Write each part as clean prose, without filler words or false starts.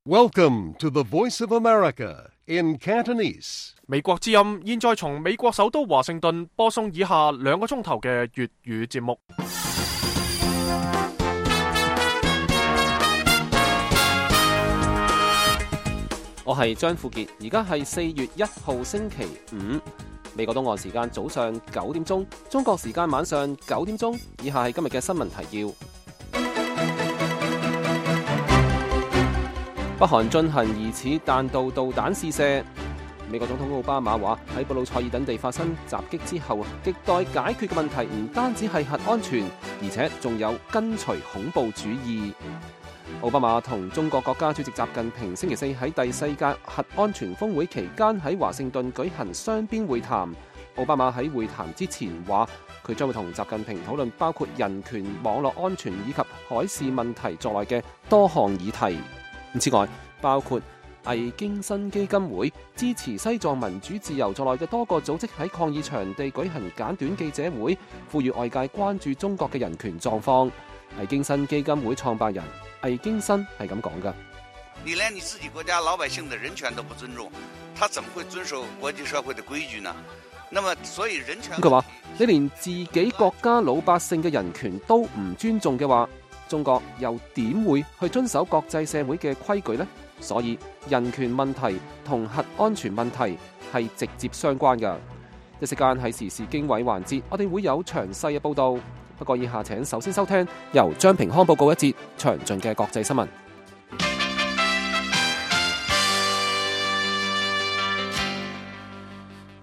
Welcome to the Voice of America in Cantonese. 美國之音現在從美國首都華盛頓播送以下2個鐘頭嘅粵語節目。我係張富傑，而家係4月1號星期五，美國東岸時間早上9點鐘，中國時間晚上9點鐘。以下係今日嘅新聞提要。北韓進行疑似彈道導彈試射。美國總統奧巴馬話喺布魯塞爾等地發生襲擊之後，亟待解決嘅問題唔單止係核安全，而且仲有根除恐怖主義。奧巴馬同中國國家主席習近平星期4喺第4屆核安全峰會期間喺華盛頓舉行雙邊會談。奧巴馬喺會談之前話，佢將會同習近平討論包括人權、網絡安全以及海事問題在內嘅多項議題。之外，包括魏京新基金會、支持西藏民主自由在內嘅多個組織喺抗議場地舉行簡短記者會，呼籲外界關注中國嘅人權狀況。魏京新基金會創辦人魏京新係咁講㗎：你連你自己國家老百姓的人權都不尊重，他怎麼會遵守國際社會的規矩呢？那麼所以人權，佢話你連自己國家老百姓嘅人權都唔尊重嘅話，中國又點會去遵守國際社會嘅規矩呢？所以人權問題同核安全問題係直接相關㗎。一時間喺時事經緯環節，我哋會有詳細嘅報導。不過以下請首先收聽由張平康報告一節詳盡嘅國際新聞。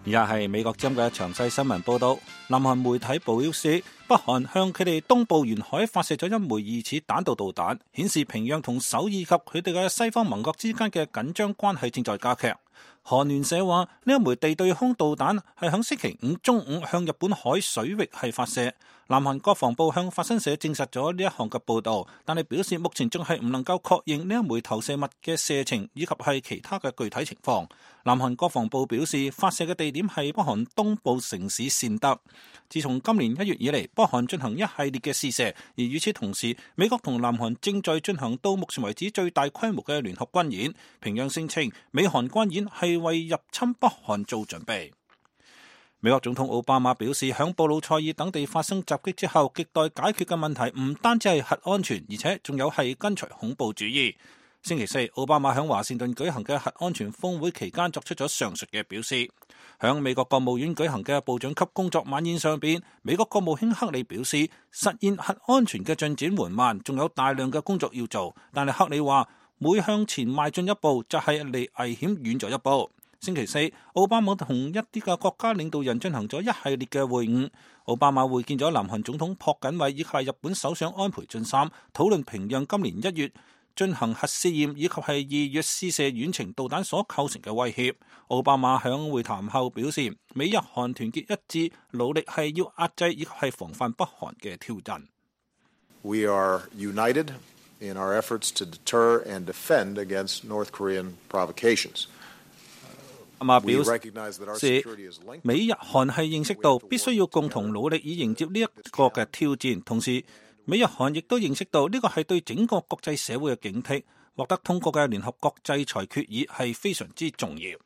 而家係美國之音嘅詳細新聞報導。南韓媒體報表示，北韓向佢哋東部沿海發射咗一枚疑似彈道導彈，顯示平壤同首爾及佢哋嘅西方盟國之間嘅緊張關係正在加劇。韓聯社話，呢一枚地對空導彈係響星期5中午向日本海水域係發射。南韓國防部向法新社證實咗呢一項嘅報導，但係表示目前仲係唔能夠確認呢一枚投射物嘅射程以及係其他嘅具體情況。南韓國防部表示，發射嘅地點係北韓東部城市善德。自從今年1月以嚟，北韓進行一系列嘅試射，而與此同時，美國同南韓正在進行到目前為止最大規模嘅聯合軍演。平壤聲稱美韓軍演係為入侵北韓做準備。美國總統奧巴馬表示，響布魯塞爾等地發生襲擊之後，亟待解決嘅問題唔單止係核安全，而且仲有係根除恐怖主義。星期4，奧巴馬響華盛頓舉行嘅核安全峰會期間作出咗上述嘅表示。響美國國務院舉行嘅部長級工作晚宴上邊，美國國務卿克里表示，實現核安全嘅進展緩慢，仲有大量嘅工作要做。但係克里話，每向前邁進一步，就係離危險遠咗一步。星期4，奧巴馬同一啲嘅國家領導人進行咗一系列嘅會晤。奧巴馬會見咗南韓總統朴槿惠以及係日本首相安倍晉三，討論平壤今年1月進行核試驗以及係2月試射遠程導彈所構成嘅威脅。奧巴馬響會談後表示，美日韓團結一致，努力係要壓制以及係防範北韓嘅挑戰。We are united in our efforts to deter and defend against North Korean provocations. 表示美日韓係認識到必須要共同努力以迎接呢一個嘅挑戰，同時美日韓亦都認識到呢個係對整個國際社會嘅警惕，獲得通過嘅聯合國制裁決議係非常之重要。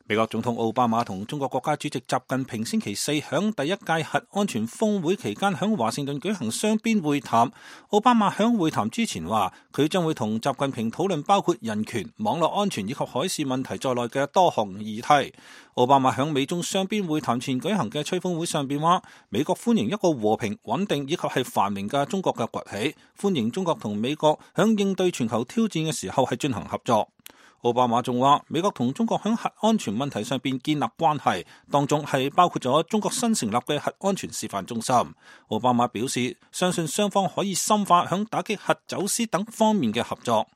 美國總統奧巴馬同中國國家主席習近平星期4響第1屆核安全峰會期間響華盛頓舉行雙邊會談。奧巴馬響會談之前話，佢將會同習近平討論包括人權、網絡安全以及海事問題在內嘅多項議題。奧巴馬響美中雙邊會談前舉行嘅吹風會上邊話，美國歡迎一個和平、穩定以及係繁榮嘅中國嘅崛起，歡迎中國同美國響應對全球挑戰嘅時候係進行合作。奧巴馬仲話，美國同中國喺核安全問題上邊建立關係，當中係包括咗中國新成立嘅核安全示範中心。奧巴馬表示，相信雙方可以深化響打擊核走私等方面嘅合作。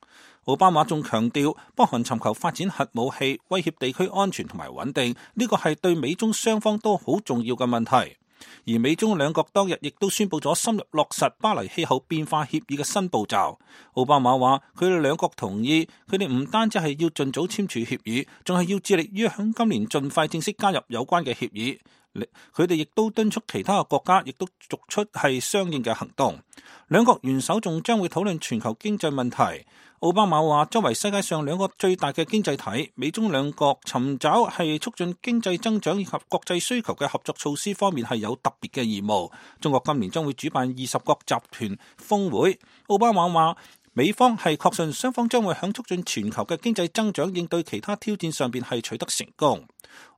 奧巴馬仲強調，北韓尋求發展核武器，威脅地區安全同埋穩定，呢個係對美中雙方都好重要嘅問題。而美中兩國當日亦都宣布咗深入落實巴黎氣候變化協議嘅新步驟。奧巴馬話，佢哋兩國同意，佢哋唔單止係要盡早簽署協議，仲係要致力於響今年盡快正式加入有關嘅協議。佢哋亦都敦促其他嘅國家亦都作出係相應嘅行動。兩國元首仲將會討論全球經濟問題。奧巴馬話，作為世界上兩個最大嘅經濟體，美中兩國尋找係促進經濟增長以及國際需求嘅合作措施方面係有特別嘅義務。中國今年將會主辦20國集團峰會。奧巴馬話，美方係確信雙方將會響促進全球嘅經濟增長、應對其他挑戰上邊係取得成功。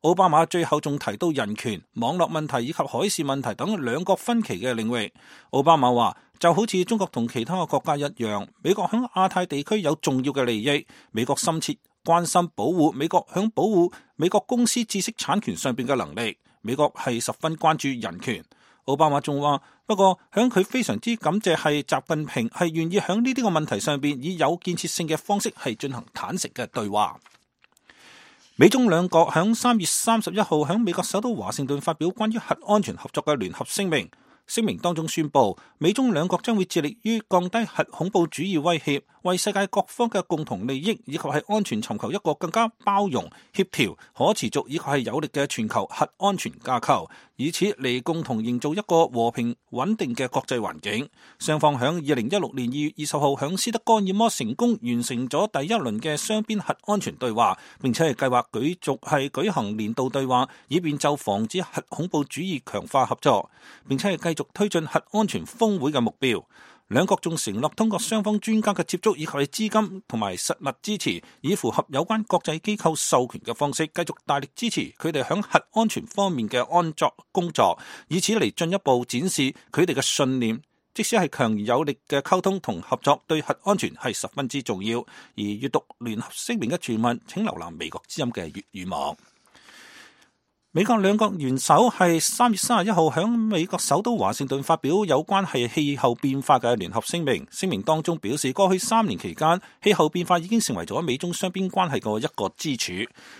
奧巴馬最後仲提到人權、網絡問題以及海事問題等兩國分歧嘅領域。奧巴馬話，就好似中國同其他嘅國家一樣，美國響亞太地區有重要嘅利益，美國深切關心保護美國響保護美國公司知識產權上邊嘅能力。美國係十分關注人權。奧巴馬仲話，不過響佢非常之感謝係習近平係願意響呢啲個問題上邊以有建設性嘅方式係進行坦誠嘅對話。美中兩國響3月31號響美國首都華盛頓發表關於核安全合作嘅聯合聲明。聲明當中宣布，美中兩國將會致力於降低核恐怖主義威脅，為世界各方嘅共同利益以及係安全尋求一個更加包容、協調、可持續以及係有力嘅全球核安全架構，以此嚟共同營造一個和平穩定嘅國際環境。雙方響2016年2月20號響斯德哥爾摩成功完成咗第一輪嘅雙邊核安全對話，並且係計劃繼續係舉行年度對話，以便就防止核恐怖主義強化合作，並且係繼續推進核安全峰會嘅目標。兩國仲承諾通過雙方專家嘅接觸以及係資金同埋實物支持，以符合有關國際機構授權嘅方式，繼續大力支持佢哋響核安全方面嘅安作工作，以此嚟進一步展示佢哋嘅信念。即使係強而有力嘅溝通同合作，對核安全係十分之重要。而閱讀聯合聲明嘅全文，請瀏覽美國之音嘅粵語網。美國兩國元首係3月31號響美國首都華盛頓發表有關係氣候變化嘅聯合聲明。聲明當中表示，過去3年期間，氣候變化已經成為咗美中雙邊關係嘅一個支柱。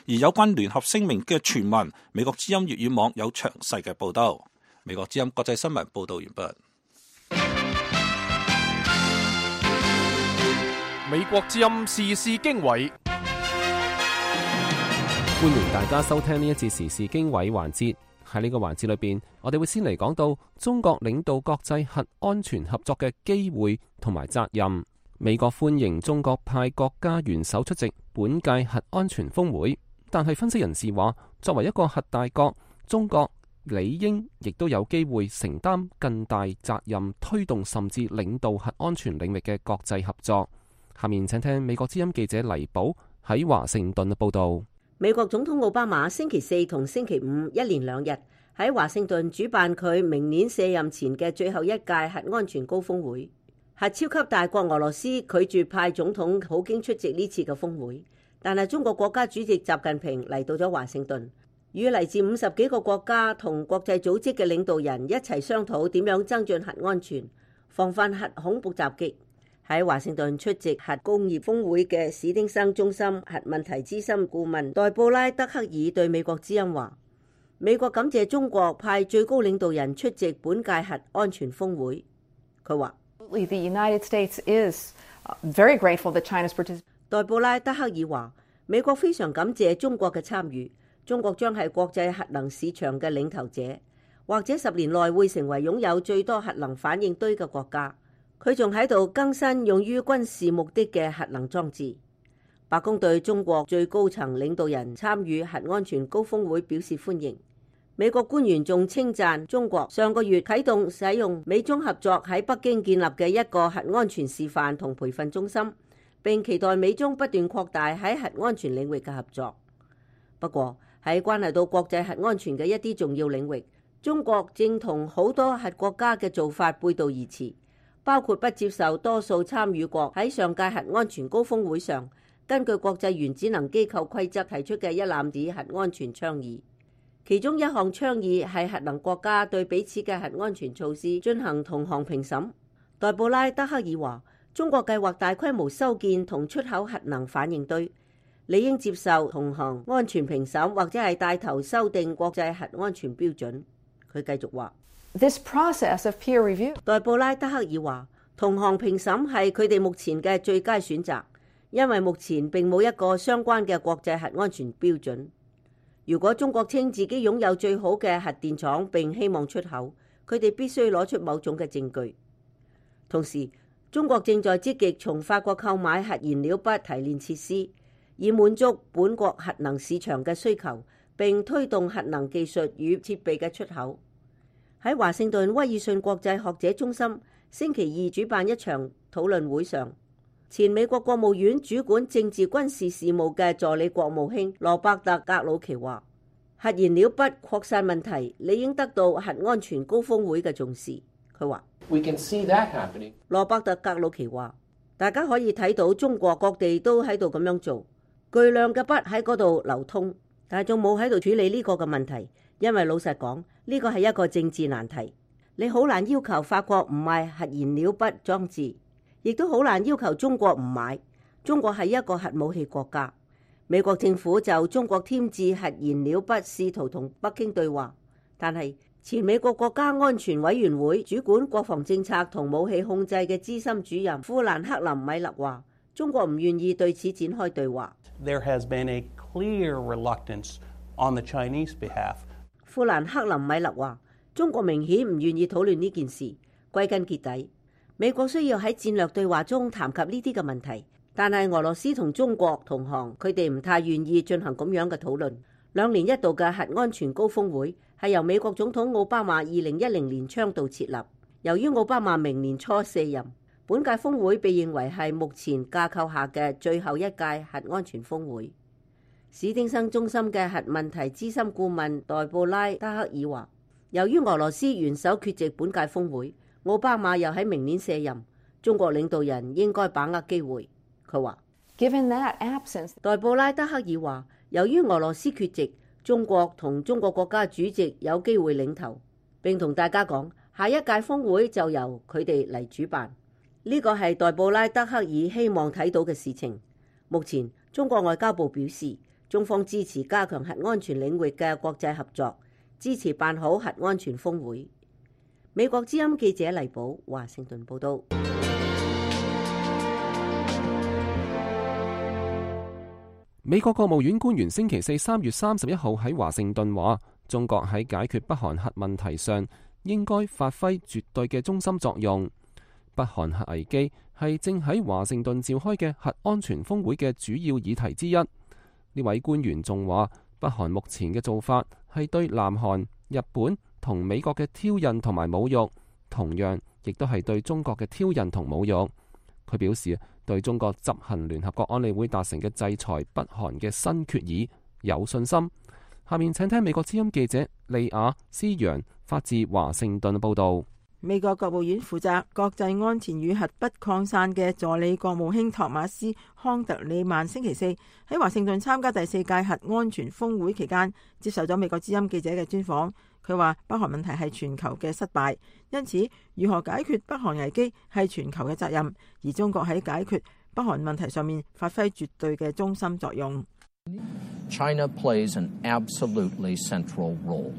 而有關聯合聲明嘅全文，美國之音粵語網有詳細嘅報道。美國之音國際新聞報道完畢。美國之音時事經緯。歡迎大家收聽呢一節時事經緯環節。喺呢個環節裏邊，我哋會先嚟講到中國領導國際核安全合作嘅機會同埋責任。美國歡迎中國派國家元首出席本屆核安全峰會，但係分析人士話，作為一個核大國，中國理應亦都有機會承擔更大責任，推動甚至領導核安全領域嘅國際合作。下面請聽美國之音記者黎寶喺華盛頓嘅報道。美國總統奧巴馬星期四同星期五一連2日喺華盛頓主辦佢明年卸任前嘅最後一屆核安全高峰會。核超級大國俄羅斯拒絕派總統普京出席呢次嘅峰會，但係中國國家主席習近平嚟到咗華盛頓，與嚟自50幾個國家同國際組織嘅領導人一齊商討點樣增進核安全，防範核恐怖襲擊。喺華盛頓出席核工業峰會嘅史丁生中心核問題資深顧問代布拉德克爾對美國之音話，美國感謝中國派最高領導人出席本屆核安全峰會。佢話代布拉德克爾話，美國非常感謝中國嘅參與，中國將係國際核能市場嘅領頭者，或者10年內會成為擁有最多核能反應堆嘅國家。佢仲喺度更新用於軍事目的嘅核能裝置。白宮對中國最高層領導人參與核安全高峰會表示歡迎。美國官員仲稱讚中國上個月啟動使用美中合作喺北京建立嘅一個核安全示範同培訓中心，並期待美中不斷擴大喺核安全領域嘅合作。不過喺關係到國際核安全嘅一啲重要領域，中國正同好多核國家嘅做法背道而馳，包括不接受多數參與國喺上屆核安全高峰會上根據國際原子能機構規則提出嘅一攬子核安全倡議。其中一項倡議係核能國家對彼此嘅核安全措施進行同行評審。代布拉德克爾話，中國計劃大規模修建同出口核能反應堆，理應接受同行安全評審，或者係帶頭修訂國際核安全標準。佢繼續話，This process of peer review， 代布拉德克爾話，同行評審係佢哋目前嘅最佳選擇，因為目前並冇一個相關嘅國際核安全標準。如果中國稱自己擁有最好嘅核電廠並希望出口，佢哋必須攞出某種嘅證據。同時，中國正在積極從法國購買核燃料筆提煉設施，以滿足本國核能市場嘅需求，並推動核能技術與設備嘅出口。喺華盛頓威爾遜國際學者中心星期二主辦一場討論會上，前美國國務院主管政治軍事事務嘅助理國務卿羅伯特·格魯奇話：核燃料筆擴散問題理應得到核安全高峰會嘅重視。佢話：羅伯特·格魯奇話，大家可以睇到中國各地都喺度咁樣做，巨量嘅筆喺嗰度流通，但係仲冇喺度處理呢個嘅問題，因為老實講，呢個係一個政治難題。你好難要求法國唔買核燃料筆裝置，亦都好難要求中國唔買。中國係一個核武器國家，美國政府就中國添置核燃料筆試圖同北京對話，但係前美國國家安全委員會主管國防政策同武器控制嘅資深主任富蘭克林米勒話：中國唔願意對此展開對話。There has been a clear reluctance on the Chinese behalf. 富蘭克林米勒話：中國明顯唔願意討論呢件事。歸根結底，美國需要喺戰略對話中談及呢啲嘅問題，但係俄羅斯同中國同行，佢哋唔太願意進行咁樣嘅討論。2年一度嘅核安全高峰會係由美國總統奧巴馬2010年倡導設立。由於奧巴馬明年初卸任，本屆峰會被認為係目前架構下嘅最後一屆核安全峰會。史丁生中心嘅核問題資深顧問代布拉德克爾話：由於俄羅斯元首缺席本屆峰會，奧巴馬又喺明年卸任，中國領導人應該把握機會。佢話： Given that absence， 代布拉德克爾話，由於俄羅斯缺席，中國同中國國家主席有機會領頭，並同大家講，下一屆峰會就由佢哋嚟主辦。呢個係代布拉德克爾希望睇到嘅事情。目前，中國外交部表示，中方支持加強核安全領域嘅國際合作，支持辦好核安全峰會。美國之音記者黎寶華盛頓報道。美國國務院官員星期四3月31號喺華盛頓話，中國喺解決北韓核問題上應該發揮絕對嘅中心作用。北韓核危機係正喺華盛頓召開嘅核安全峰會嘅主要議題之一。呢位官員仲話，北韓目前嘅做法係對南韓、日本同美國嘅挑釁同埋侮辱，同樣亦都係對中國嘅挑釁同侮辱。佢表示，對中國執行聯合國安理會達成嘅制裁北韓嘅新決議有信心。下面請聽美國之音記者利亞斯揚發自華盛頓報道。美國國務院負責國際安全與核不擴散嘅助理國務卿托馬斯康特里曼星期四喺華盛頓參加第4屆核安全峰會期間，接受咗美國之音記者嘅專訪。佢話北韓問題係全球嘅失敗，因此如何解決北韓危機係全球嘅責任，而中國喺解決北韓問題上面發揮絕對嘅中心作用。China plays an absolutely central role.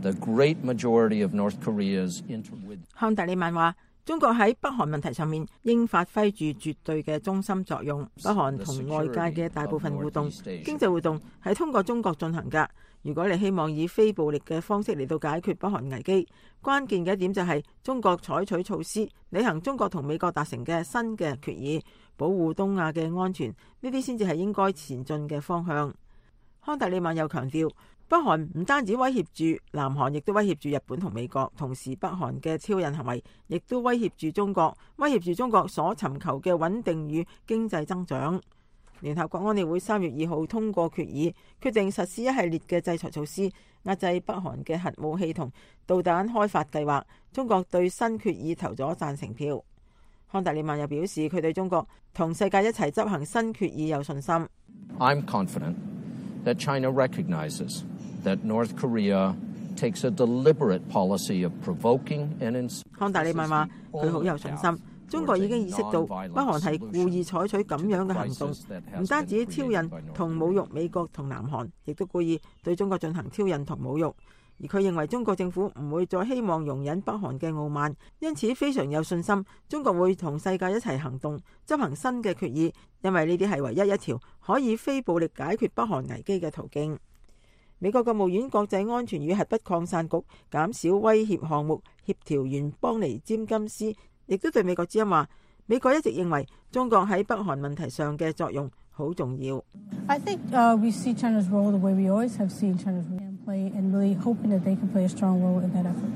The great majority of North Korea's interwith. 康特里曼話：中國喺北韓問題上面應發揮住絕對嘅中心作用。北韓同外界嘅大部分互動、經濟活動係通過中國進行㗎。如果你希望以非暴力嘅方式嚟到解決北韓危機，關鍵嘅一點就係中國採取措施，履行中國同美國達成嘅新嘅決議，保護東亞嘅安全，呢啲先至係應該前進嘅方向。康特里曼又強調，北韓唔單止威脅住南韓，亦都威脅住日本同美國，同時北韓嘅挑釁行為亦都威脅住中國，威脅住中國所尋求嘅穩定與經濟增長。聯合國安理會3月2號通過決議，決定實施一系列嘅制裁措施，壓制北韓嘅核武器同導彈開發計劃。中國對新決議投咗贊成票。康特里曼又表示，佢對中國同世界一齊執行新決議有信心。I'm confident that China recognizes that North Korea takes a deliberate policy of provoking and 康特里曼話：佢好有信心。中國已經意識到北韓係故意採取咁樣嘅行動，唔單止挑釁同侮辱美國同南韓，亦都故意對中國進行挑釁同侮辱。而佢認為中國政府唔會再希望容忍北韓嘅傲慢，因此非常有信心中國會同世界一齊行動，執行新嘅決議，因為呢啲係唯一一條可以非暴力解決北韓危機嘅途徑。美國國務院國際安全與核不擴散局減少威脅項目協調員邦尼詹金斯亦都對美國之音話，美國一直認為中國喺北韓問題上嘅作用好重要。I think we see China's role the way we always have seen China's role play and really hoping that they can play a strong role in that effort.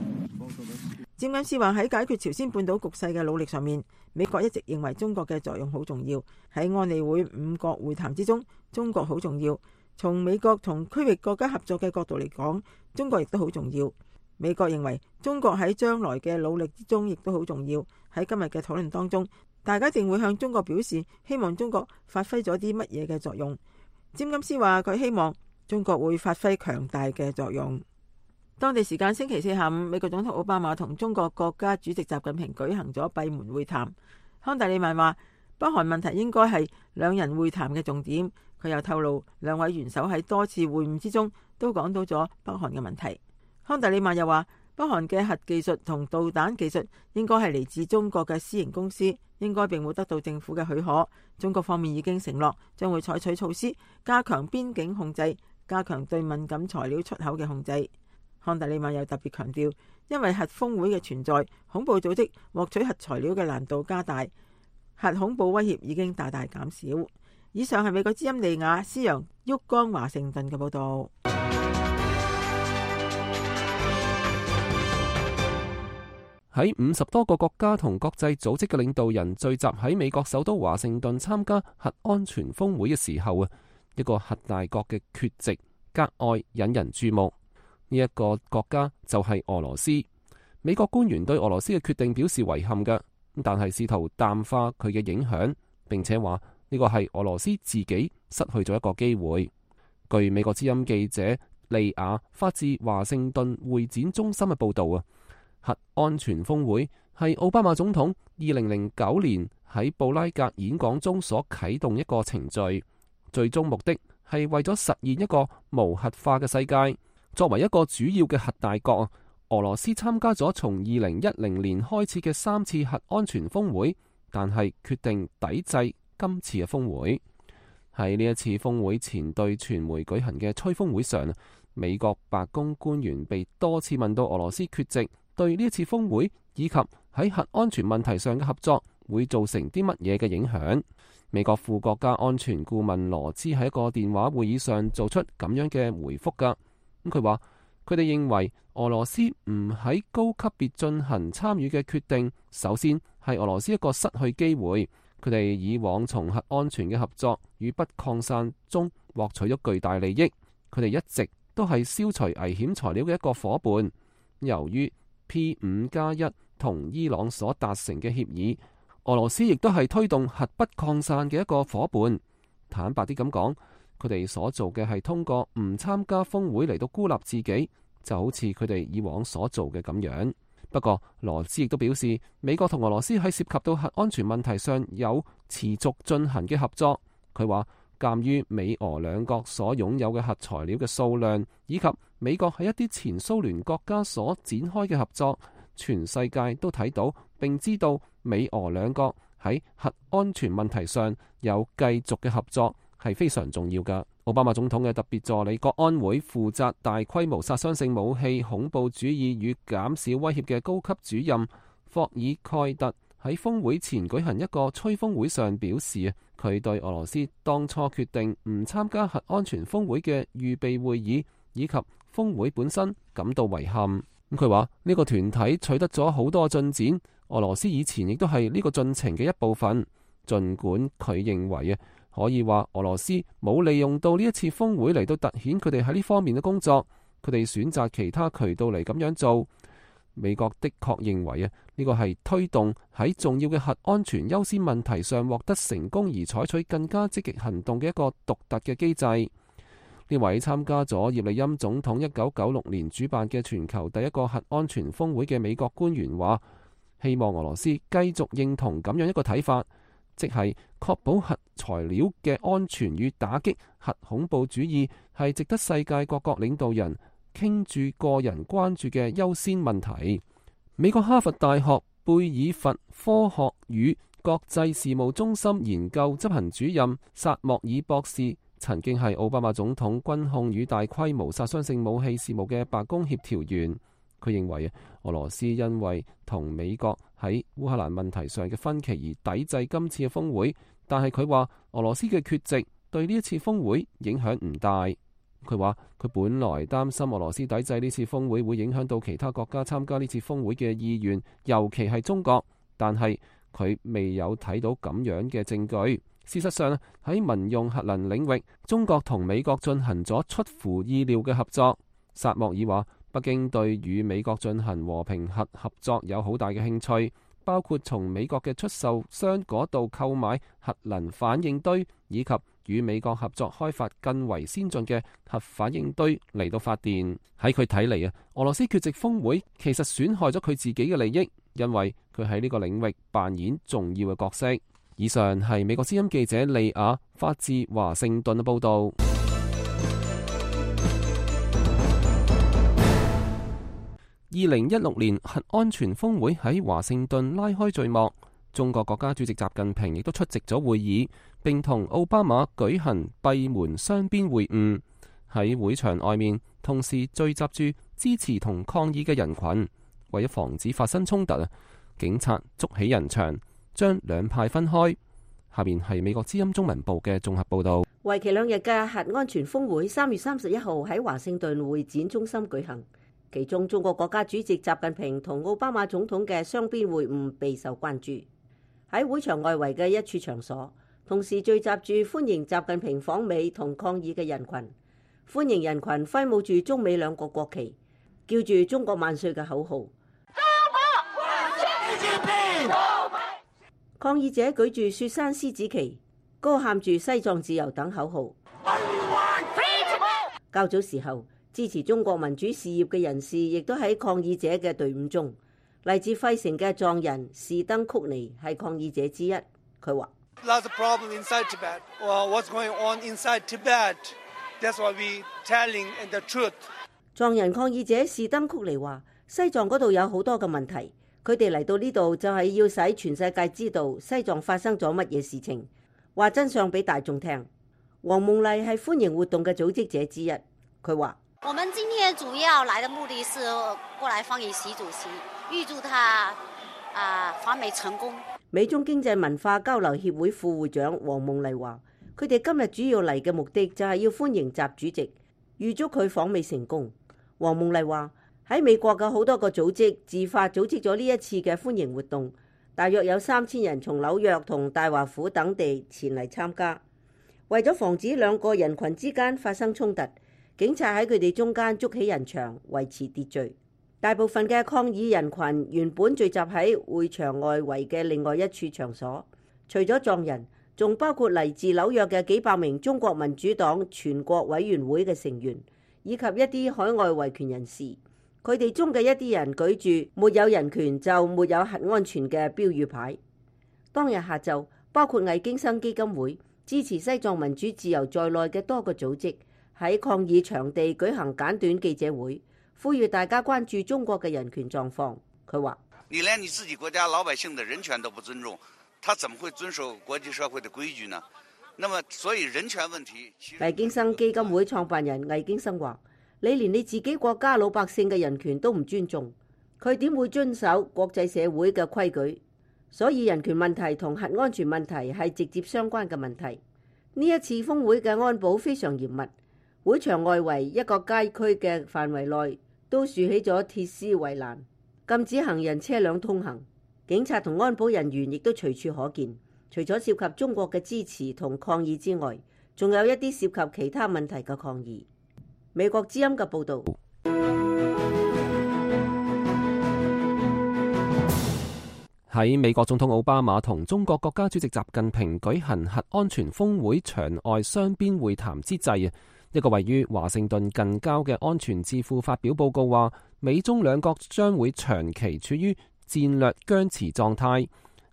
詹金斯話喺解決朝鮮半島局勢嘅努力上面，美國一直認為中國嘅作用好重要。喺安理會5國會談之中，中國好重要。從美國同區域國家合作嘅角度嚟講，中國亦都好重要。美國認為中國喺將來嘅努力之中亦都好重要。喺今日嘅討論當中，大家一定會向中國表示希望中國發揮咗啲乜嘢嘅作用。詹金斯話佢希望中國會發揮強大嘅作用。當地時間星期四下午，美國總統奧巴馬同中國國家主席習近平舉行咗閉門會談。康達利曼話北韓問題應該係兩人會談嘅重點。佢又透露兩位元首喺多次會晤之中都講到咗北韓嘅問題。康達利曼又話北韓嘅核技術同導彈技術應該係嚟自中國嘅私營公司，應該並冇得到政府嘅許可。中國方面已經承諾將會採取措施加強邊境控制，加強對敏感材料出口嘅控制。康達利曼又特別強調，因為核峰會嘅存在，恐怖組織獲取核材料嘅難度加大，核恐怖威脅已經大大減少。以上係美國之音利亞斯揚沃岡華盛頓嘅報道。喺50多個國家同國際組織嘅領導人聚集喺美國首都華盛頓參加核安全峰會嘅時候啊，一個核大國嘅缺席格外引人注目。呢一個國家就係俄羅斯。美國官員對俄羅斯嘅決定表示遺憾嘅，但係試圖淡化佢嘅影響，並且話呢個係俄羅斯自己失去咗一個機會。據美國之音記者利亞發自華盛頓會展中心嘅報道啊，核安全峰會係奧巴馬總統2009年喺布拉格演講中所啟動一個程序，最終目的係為咗實現一個無核化嘅世界。作為一個主要嘅核大國，俄羅斯參加咗從2010年開始嘅3次核安全峰會，但係決定抵制今次嘅峰會。喺呢一次峰會前對傳媒舉行嘅吹風會上，美國白宮官員被多次問到俄羅斯缺席對呢一次峰會以及喺核安全問題上嘅合作會造成啲乜嘢嘅影響。美國副國家安全顧問羅茲喺一個電話會議上做出咁樣嘅回覆㗎。佢話佢哋認為俄羅斯唔喺高級別進行參與嘅決定，首先係俄羅斯一個失去機會。佢哋以往從核安全嘅合作與不擴散中獲取咗巨大利益，佢哋一直都係消除危險材料嘅一個夥伴。由於 P5+1 同伊朗所達成嘅協議，俄羅斯亦都係推動核不擴散嘅一個夥伴。坦白啲咁講，佢哋所做嘅係通過唔參加峰會嚟到孤立自己，就好似佢哋以往所做嘅咁樣。不過羅斯亦都表示，美國同俄羅斯喺涉及到核安全問題上有持續進行嘅合作。佢話鑒於美俄兩國所擁有嘅核材料嘅數量，以及美國喺一啲前蘇聯國家所展開嘅合作，全世界都睇到並知道美俄兩國喺核安全問題上有繼續嘅合作係非常重要㗎。奧巴馬總統嘅特別助理國安會負責大規模殺傷性武器、恐怖主義與減少威脅嘅高級主任霍爾蓋特喺峰會前舉行一個吹風會上表示，佢對俄羅斯當初決定唔參加核安全峰會嘅預備會議以及峰會本身感到遺憾。佢話呢個團體取得咗好多進展，俄羅斯以前亦都係呢個進程嘅一部分。儘管佢認為可以話俄羅斯冇利用到呢一次峰會嚟到凸顯佢哋喺呢方面嘅工作，佢哋選擇其他渠道嚟咁樣做。美國的確認為呢個係推動喺重要嘅核安全優先問題上獲得成功而採取更加積極行動嘅一個獨特嘅機制。呢位參加咗葉利欽總統1996年主辦嘅全球第一個核安全峰會嘅美國官員話，希望俄羅斯繼續認同咁樣一個睇法，即係確保核材料嘅安全與打擊核恐怖主義係值得世界各國領導人傾注個人關注嘅優先問題。美國哈佛大學貝爾佛科學與國際事務中心研究執行主任薩莫爾博士曾經係奧巴馬總統軍控與大規模殺傷性武器事務嘅白宮協調員。佢認為俄羅斯因為同美國喺烏克蘭問題上嘅分歧而抵制今次嘅峰會，但係佢話俄羅斯嘅缺席對呢一次峰會影響唔大。佢話佢本來擔心俄羅斯抵制呢次峰會會影響到其他國家參加呢次峰會嘅意願，尤其係中國，但係佢未有睇到咁樣嘅證據。事實上喺民用核能領域，中國同美國進行咗出乎意料嘅合作。薩莫爾話，北京對與美國進行和平核合作有好大嘅興趣，包括從美國嘅出售商嗰度購買核能反應堆，以及與美國合作開發更為先進嘅核反應堆嚟到發電。喺佢睇嚟俄羅斯缺席峰會其實損害咗佢自己嘅利益，因為佢喺呢個領域扮演重要嘅角色。以上係美國之音記者利亞發自華盛頓嘅報道。2016年核安全峰會喺華盛頓拉開序幕，中國國家主席習近平亦都出席咗會議，並同奧巴馬舉行閉門雙邊會晤。喺會場外面，同時聚集住支持同抗議嘅人群。為咗防止發生衝突，警察築起人牆，將兩派分開。下面係美國之音中文部嘅綜合報道。為期2日嘅核安全峰會3月31號喺華盛頓會展中心舉行，其中中國國家主席習近平同奧巴馬總統嘅雙邊會晤備受關注。喺會場外圍嘅一處場所，同時聚集住歡迎習近平訪美同抗議嘅人群。歡迎人群揮舞住中美兩國國旗，叫住中國萬歲嘅口號。抗議者舉住雪山獅子旗，高喊住西藏自由等口號。較早時候，支持中國民主事業嘅人士亦都喺抗議者嘅隊伍中。嚟自費城嘅藏人士登曲尼係抗議者之一。佢話藏人抗議者士登曲尼話：西藏嗰度有好多嘅問題。佢哋嚟到呢度就係要使全世界知道西藏發生咗乜嘢事情，話真相俾大眾聽。黃夢麗係歡迎活動嘅組織者之一，佢話：我們今天主要來的目的是過來歡迎習主席，預祝他訪美成功。美中經濟文化交流協會副會長黃夢麗話：佢哋今日主要嚟嘅目的就係要歡迎習主席，預祝佢訪美成功。黃夢麗話：喺美國嘅好多個組織自發組織咗呢一次嘅歡迎活動，大約有3000人從紐約同大華府等地前嚟參加。為咗防止兩個人群之間發生衝突，警察喺佢哋中間築起人牆維持秩序。大部分嘅抗議人群原本聚集喺會場外圍嘅另外一處場所，除咗藏人，仲包括嚟自紐約嘅幾百名中國民主黨全國委員會嘅成員，以及一啲海外維權人士。佢哋中嘅一啲人舉住沒有人權就沒有核安全嘅標語牌。當日下晝，包括魏京生基金會、支持西藏民主自由在內嘅多個組織喺抗議場地舉行簡短記者會，呼籲大家關注中國嘅人權狀況。佢話：你連你自己國家老百姓的人權都不尊重，他怎麼會遵守國際社會的規矩呢？那麼所以人權問題，魏京生基金會創辦人魏京生話：你連你自己國家老百姓嘅人權都唔尊重，佢點會遵守國際社會嘅規矩？所以人權問題同核安全問題係直接相關嘅問題。呢一次峰會嘅安保非常嚴密，會場外圍一個街區嘅範圍內都豎起咗鐵絲圍欄，禁止行人車輛通行。警察同安保人員亦都隨處可見。除咗涉及中國嘅支持同抗議之外，仲有一啲涉及其他問題嘅抗議。美國之音嘅報導。喺美國總統奧巴馬同中國國家主席習近平舉行核安全峰會場外雙邊會談之際，一個位於華盛頓近郊嘅安全智庫發表報告話，美中兩國將會長期處於戰略僵持狀態。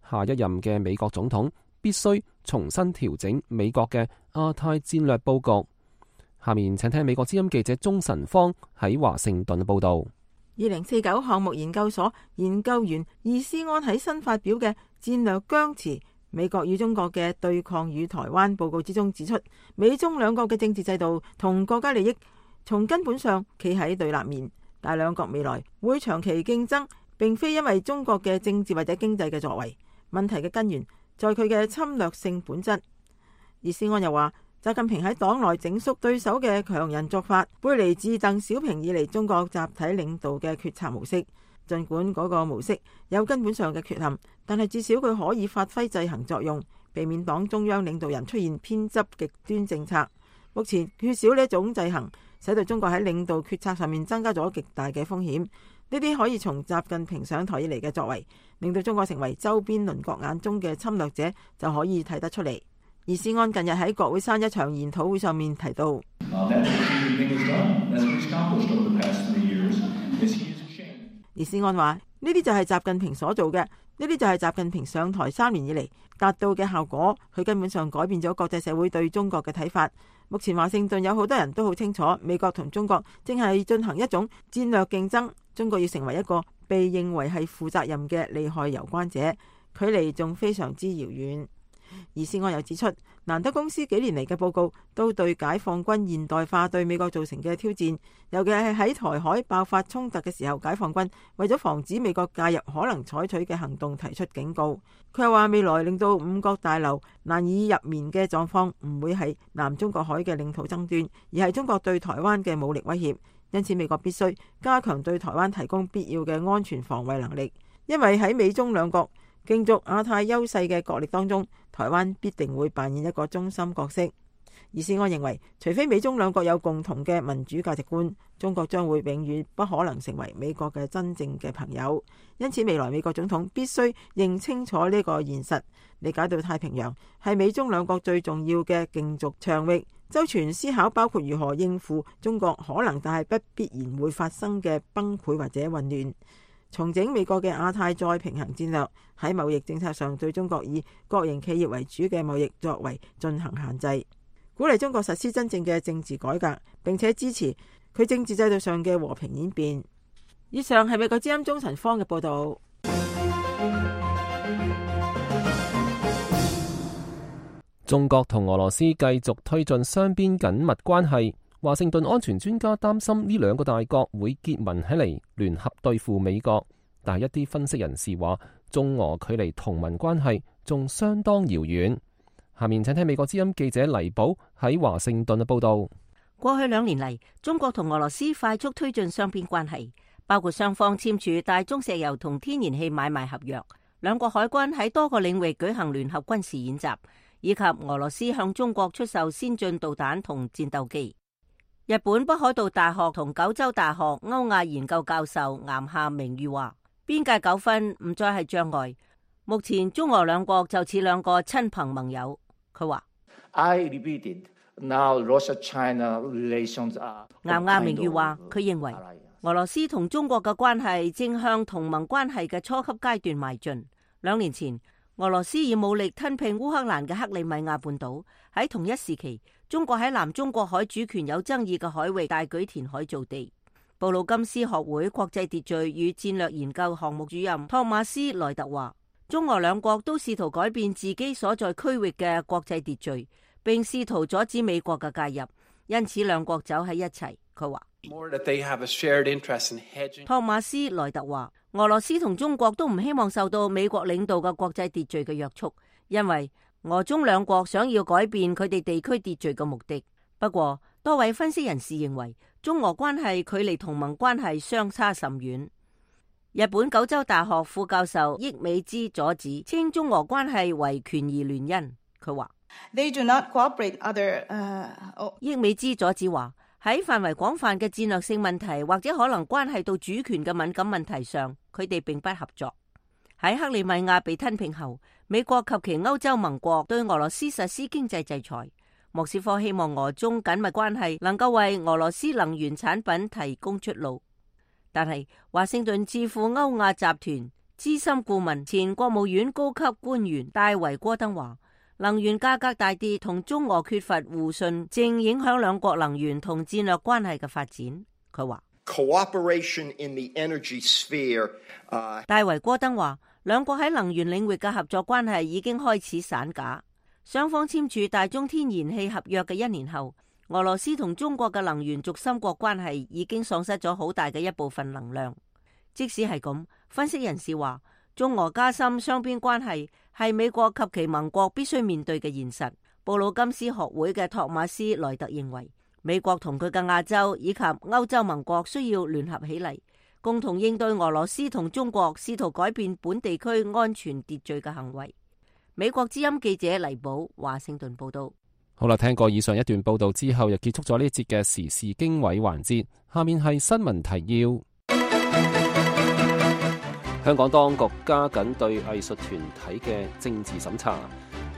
下一任嘅美國總統必須重新調整美國嘅亞太戰略佈局。下面請聽美國之音記者鍾晨芳喺華盛頓報道。2049項目研究所研究員易思安喺新發表嘅戰略僵持美國與中國嘅對抗與台灣報告之中指出，美中兩國嘅政治制度同國家利益從根本上企喺對立面，但兩國未來會長期競爭，並非因為中國嘅政治或者經濟嘅作為，問題嘅根源在佢嘅侵略性本質。而施安又話，習近平喺黨內整肅對手嘅強人作法，背離自鄧小平以嚟中國集體領導嘅決策模式。儘管嗰個模式有根本上嘅缺陷，但係至少佢可以發揮制衡作用，避免黨中央領導人出現偏執極端政策。目前缺少呢一種制衡，使到中國喺領導決策上面增加咗極大嘅風險。呢啲可以從習近平上台以嚟嘅作為，令到中國成為周邊鄰國眼中嘅侵略者，就可以睇得出嚟。而施安近日喺國會山一場研討會上面提到，而施安話呢啲就係習近平所做嘅，呢啲就係習近平上台3年以嚟達到嘅效果。佢根本上改變咗國際社會對中國嘅睇法。目前華盛頓有好多人都好清楚，美國同中國正係進行一種戰略競爭，中國要成為一個被認為係負責任嘅利害攸關者，距離仲非常之遙遠。而施安又指出，蘭德公司幾年嚟嘅報告都對解放軍現代化對美國造成嘅挑戰，尤其係喺台海爆發衝突嘅時候，解放軍為咗防止美國介入可能採取嘅行動提出警告。佢又話未來令到五角大樓難以入眠嘅狀況唔會係南中國海嘅領土爭端，而係中國對台灣嘅武力威脅。因此美國必須加強對台灣提供必要嘅安全防衛能力，因為喺美中兩國競逐亞太優勢嘅角力當中，台灣必定會扮演一個中心角色。而施安認為，除非美中兩國有共同嘅民主價值觀，中國將會永遠不可能成為美國嘅真正嘅朋友。因此未來美國總統必須認清楚呢個現實，理解到太平洋係美中兩國最重要嘅競逐場域，周全思考包括如何應付中國可能但係不必然會發生嘅崩潰或者混亂，重整美國嘅亞太再平衡戰略，喺貿易政策上對中國以國營企業為主嘅貿易作為進行限制，鼓勵中國實施真正嘅政治改革，並且支持佢政治制度上嘅和平演變。以上係美國之音鍾晨芳嘅報道。中國同俄羅斯繼續推進雙邊緊密關係，華盛頓安全專家擔心呢兩個大國會結盟起嚟聯合對付美國，但係一啲分析人士話，中俄距離同盟關係仲相當遙遠。下面請聽美國之音記者黎寶喺華盛頓嘅報道。過去2年嚟，中國同俄羅斯快速推進雙邊關係，包括雙方簽署大宗石油同天然氣買賣合約，兩國海軍喺多個領域舉行聯合軍事演習，以及俄羅斯向中國出售先進導彈同戰鬥機。日本北海道大學同九州大學歐亞研究教授岩下明裕話，邊界糾紛唔再係障礙，目前中俄兩國就似兩個親朋盟友。佢話岩下明裕話，佢認為俄羅斯同中國嘅關係正向同盟關係嘅初級階段邁進。2年前，俄羅斯以武力吞併烏克蘭嘅克里米亞半島，喺同一時期，中國喺南中國海主權有爭議嘅海域大舉填海造地。布魯金斯學會國際秩序與戰略研究項目主任托馬斯萊特話，中俄兩國都試圖改變自己所在區域嘅國際秩序，並試圖阻止美國嘅介入，因此兩國走喺一齊。佢話，托馬斯萊特話，俄羅斯同中國都唔希望受到美國領導嘅國際秩序嘅約束，因為俄中兩國想要改變佢哋地區秩序嘅目的。不過，多位分析人士認為，中俄關係距離同盟關係相差甚遠。日本九州大學副教授益美之佐子稱中俄關係為權宜聯姻。佢話，益美之佐子話，喺範圍廣泛嘅戰略性問題或者可能關係到主權嘅敏感問題上，佢哋並不合作。喺克里米亞被吞併後，美國及其歐洲盟國對俄羅斯實施經濟制裁。莫斯科希望俄中緊密關係能夠為俄羅斯能源產品提供出路。但係華盛頓智庫歐亞集團資深顧問、前國務院高級官員戴維戈登話，能源價格大跌同中俄缺乏互信正影響兩國能源同戰略關係嘅發展。佢話，戴維戈登話，兩國喺能源領域嘅合作關係已經開始散架。雙方簽署大宗天然氣合約嘅1年後，俄羅斯同中國嘅能源軸心國關係已經喪失咗好大嘅一部分能量。即使係咁，分析人士話，中俄加深雙邊關係係美國及其盟國必須面對嘅現實。布魯金斯學會嘅托馬斯萊特認為，美國同佢嘅亞洲以及歐洲盟國需要聯合起嚟，共同應對俄羅斯同中國試圖改變本地區安全秩序嘅行為。美國之音記者黎寶華盛頓報道。好啦，聽過以上一段報道之後，又結束咗呢一節嘅時事經緯環節。下面係新聞提要。香港當局加緊對藝術團體嘅政治審查。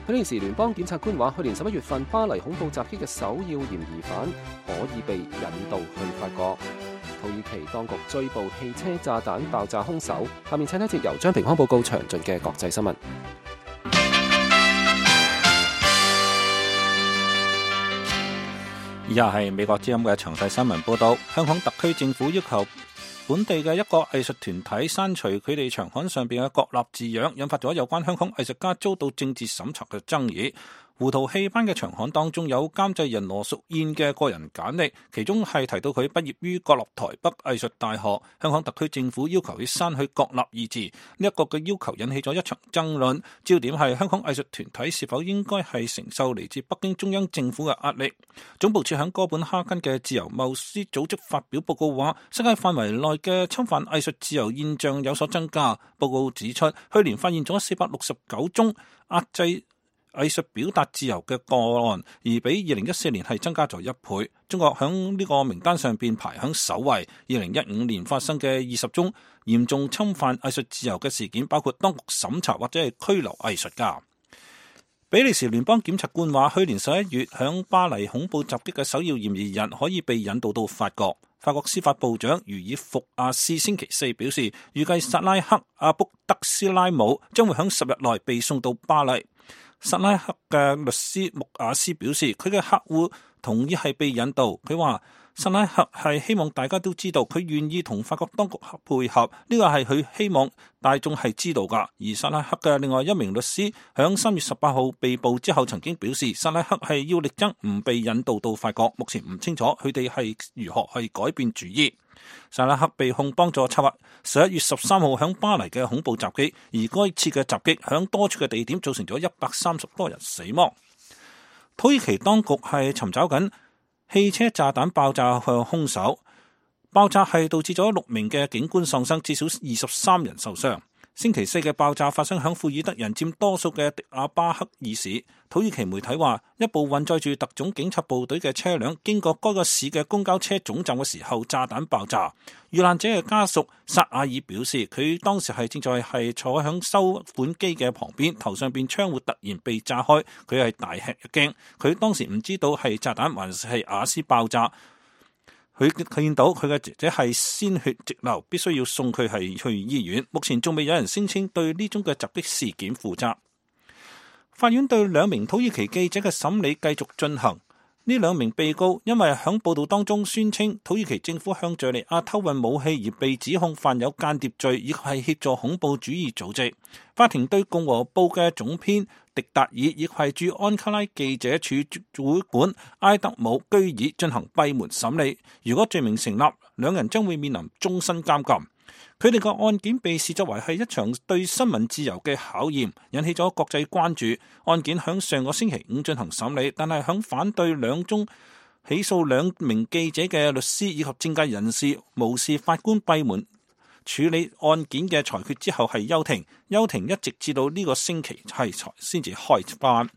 比利時聯邦檢察官話，去年11月份巴黎恐怖襲擊嘅首要嫌疑犯可以被引渡去法國。土耳其當局追捕汽車炸彈爆炸兇手。下面請睇一節由張平康報告詳盡嘅國際新聞。以下係美國之音嘅詳細新聞報道。香港特區政府要求本地嘅一個藝術團體刪除佢哋場刊上邊嘅國立字樣，引發咗有關香港藝術家遭到政治審查嘅爭議。胡桃戲班嘅場刊當中有監製人羅淑燕嘅個人簡歷，其中係提到佢畢業於國立台北藝術大學。香港特區政府要求佢刪去國立二字，呢一個嘅要求引起咗一場爭論。焦點係香港藝術團體是否應該係承受嚟自北京中央政府嘅壓力。總部設喺哥本哈根嘅自由貿易組織發表報告話，世界範圍內嘅侵犯藝術自由現象有所增加。報告指出，去年發現咗469宗壓制藝術表達自由嘅個案，而比2014年係增加咗1倍。中國響呢個名單上邊排響首位。2015年發生嘅20宗嚴重侵犯藝術自由嘅事件，包括當局審查或者係拘留藝術家。比利時聯邦檢察官話，去年11月響巴黎恐怖襲擊嘅首要嫌疑人可以被引渡到法國。法國司法部長茹爾福亞斯星期四表示，預計薩拉克阿卜德斯拉姆將會響10日內被送到巴黎。薩拉克嘅律師穆亞斯表示，佢嘅客戶同意係被引渡。佢話薩拉克係希望大家都知道佢願意同法國當局配合，呢個係佢希望大眾係知道噶。而薩拉克嘅另外一名律師響3月18號被捕之後曾經表示，薩拉克係要力爭唔被引渡到法國，目前唔清楚佢哋係如何去改變主意。薩拉克被控幫助策劃11月13號響巴黎嘅恐怖襲擊，而該次嘅襲擊響多處嘅地點造成咗130多人死亡。土耳其當局係尋找緊汽車炸彈爆炸嘅兇手，爆炸係導致咗6名嘅警官喪生，至少23人受傷。星期四嘅爆炸發生響庫爾德人佔多數嘅迪亞巴克爾市。土耳其媒體話，一部運載住特種警察部隊嘅車輛經過該個市嘅公交車總站嘅時候，炸彈爆炸。遇難者嘅家屬薩亞爾表示，佢當時係正在係坐響收款機嘅旁邊，頭上邊窗戶突然被炸開，佢係大吃一驚。佢當時唔知道係炸彈還是係瓦斯爆炸。佢見到佢嘅姐姐係鮮血直流，必須要送佢係去醫院。目前仲未有人聲稱對呢宗嘅襲擊事件負責。法院對2名土耳其記者嘅審理繼續進行。呢2名被告因為響報道當中宣稱土耳其政府向敘利亞偷運武器而被指控犯有間諜罪，以及係協助恐怖主義組織。法庭對共和報嘅總編迪達爾以及係駐安卡拉記者處主管埃德姆居爾進行閉門審理。如果罪名成立，2人將會面臨終身監禁。佢哋個案件被視作為係一場對新聞自由嘅考驗，引起咗國際關注。案件響上個星期5進行審理，但係響反對2宗起訴2名記者嘅律師以及政界人士無視法官閉門處理案件嘅裁決之後係休庭。休庭一直至到呢個星期係先至開翻。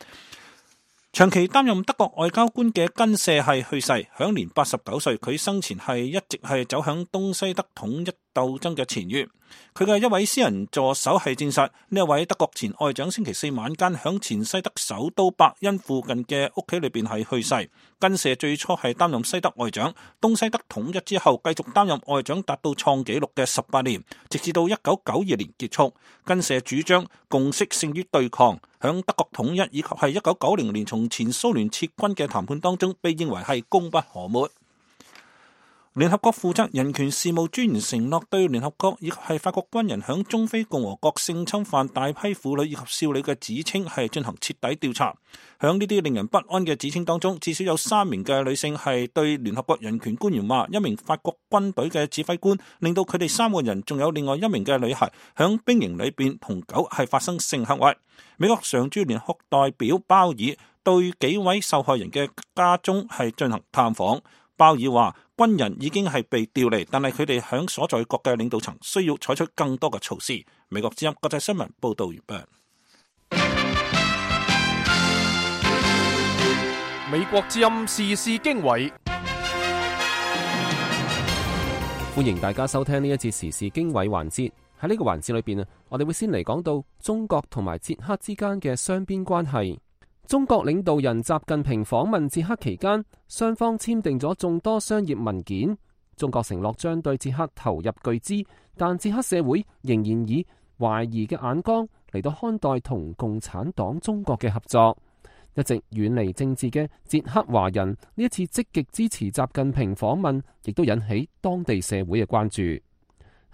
長期擔任德國外交官嘅根舍係去世，享年89歲。佢生前係一直係走向東西德統一鬥爭嘅前沿。佢嘅一位私人助手係證實，呢一位德國前外長星期四晚間響前西德首都伯恩附近嘅屋企裏邊係去世。根舍最初係擔任西德外長，東西德統一之後繼續擔任外長達到創紀錄嘅18年，直至到1992年結束。根舍主張共識勝於對抗，響德國統一以及係1990年從前蘇聯撤軍嘅談判當中被認為係功不可沒。聯合國負責人權事務專員承諾對聯合國以及係法國軍人響中非共和國性侵犯大批婦女以及少女嘅指稱係進行徹底調查。響呢啲令人不安嘅指稱當中，至少有3名嘅女性係對聯合國人權官員話，一名法國軍隊嘅指揮官令到佢哋3個人，仲有另外1名嘅女孩響兵營裏邊同狗係發生性行為。美國常駐聯合國代表鮑爾對幾位受害人嘅家中係進行探訪。鮑爾話，軍人已經係被調離，但係佢哋響所在國嘅領導層需要採取更多嘅措施。美國之音國際新聞報道完畢。美國之音時事經緯，歡迎大家收聽呢一節時事經緯環節。喺呢個環節裏邊我哋會先嚟講到中國同埋捷克之間嘅雙邊關係。中國領導人習近平訪問捷克期間，雙方簽訂咗眾多商業文件。中國承諾將對捷克投入巨資，但捷克社會仍然以懷疑嘅眼光嚟到看待同共產黨中國嘅合作。一直遠離政治嘅捷克華人呢一次積極支持習近平訪問，亦都引起當地社會嘅關注。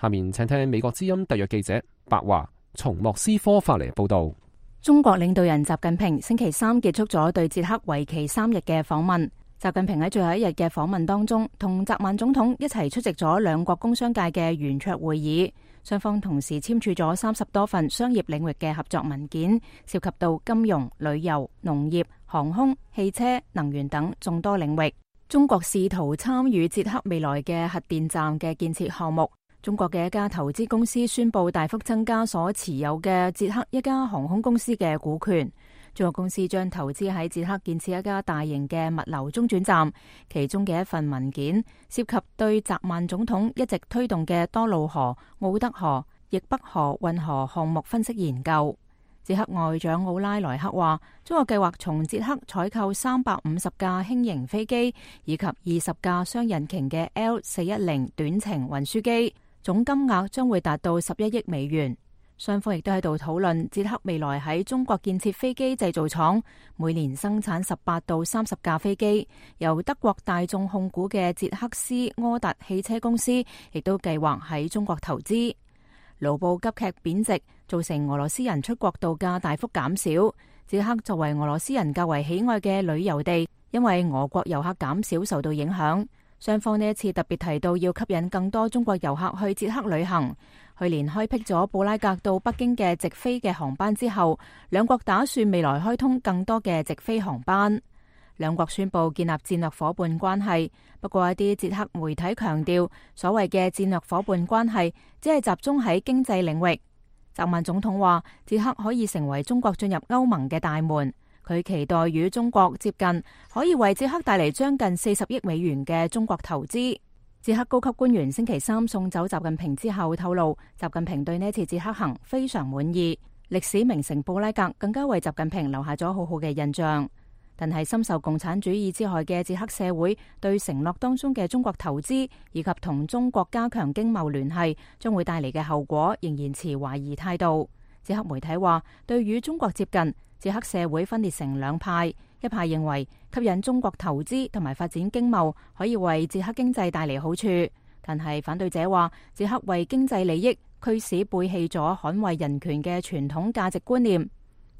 下面請聽美國之音特約記者白華從莫斯科發嚟報道。中國領導人習近平星期三結束咗對捷克為期3日嘅訪問。習近平喺最後一日嘅訪問當中，同澤曼總統一齊出席咗兩國工商界嘅圓桌會議，雙方同時簽署咗30多份商業領域嘅合作文件，涉及到金融、旅遊、農業、航空、汽車、能源等眾多領域。中國試圖參與捷克未來嘅核電站嘅建設項目。中國嘅一家投資公司宣布大幅增加所持有嘅捷克一家航空公司嘅股權。中國公司將投資喺捷克建設一家大型嘅物流中轉站，其中嘅一份文件涉及對澤曼總統一直推動嘅多瑙河、奧德河、易北河運河項目分析研究。捷克外長奧拉萊克話，中國計劃從捷克採購350架輕型飛機以及20架雙引擎嘅 L410 短程運輸機。總金額將會達到11億美元。雙方亦都喺度討論捷克未來喺中國建設飛機製造廠，每年生產18到30架飛機。由德國大眾控股嘅捷克斯柯達汽車公司亦都計劃喺中國投資。盧布急劇貶值，造成俄羅斯人出國度假大幅減少。捷克作為俄羅斯人較為喜愛嘅旅遊地，因為俄國遊客減少受到影響。雙方呢一次特別提到要吸引更多中國遊客去捷克旅行。去年開闢咗布拉格到北京嘅直飛嘅航班之後，兩國打算未來開通更多嘅直飛航班。兩國宣布建立戰略夥伴關係，不過一啲捷克媒體強調，所謂嘅戰略夥伴關係只係集中喺經濟領域。澤曼總統話，捷克可以成為中國進入歐盟嘅大門。佢期待與中國接近，可以為捷克帶嚟將近40億美元嘅中國投資。捷克高級官員星期三送走習近平之後透露，習近平對呢次捷克行非常滿意。歷史名城布拉格更加為習近平留下咗好好嘅印象。但係深受共產主義之害嘅捷克社會對承諾當中嘅中國投資以及同中國加強經貿聯繫將會帶嚟嘅後果，仍然持懷疑態度。捷克媒體話，對與中國接近，捷克社會分裂成兩派，一派認為吸引中國投資同埋發展經貿可以為捷克經濟帶嚟好處，但係反對者話，捷克為經濟利益驅使背棄咗捍衛人權嘅傳統價值觀念。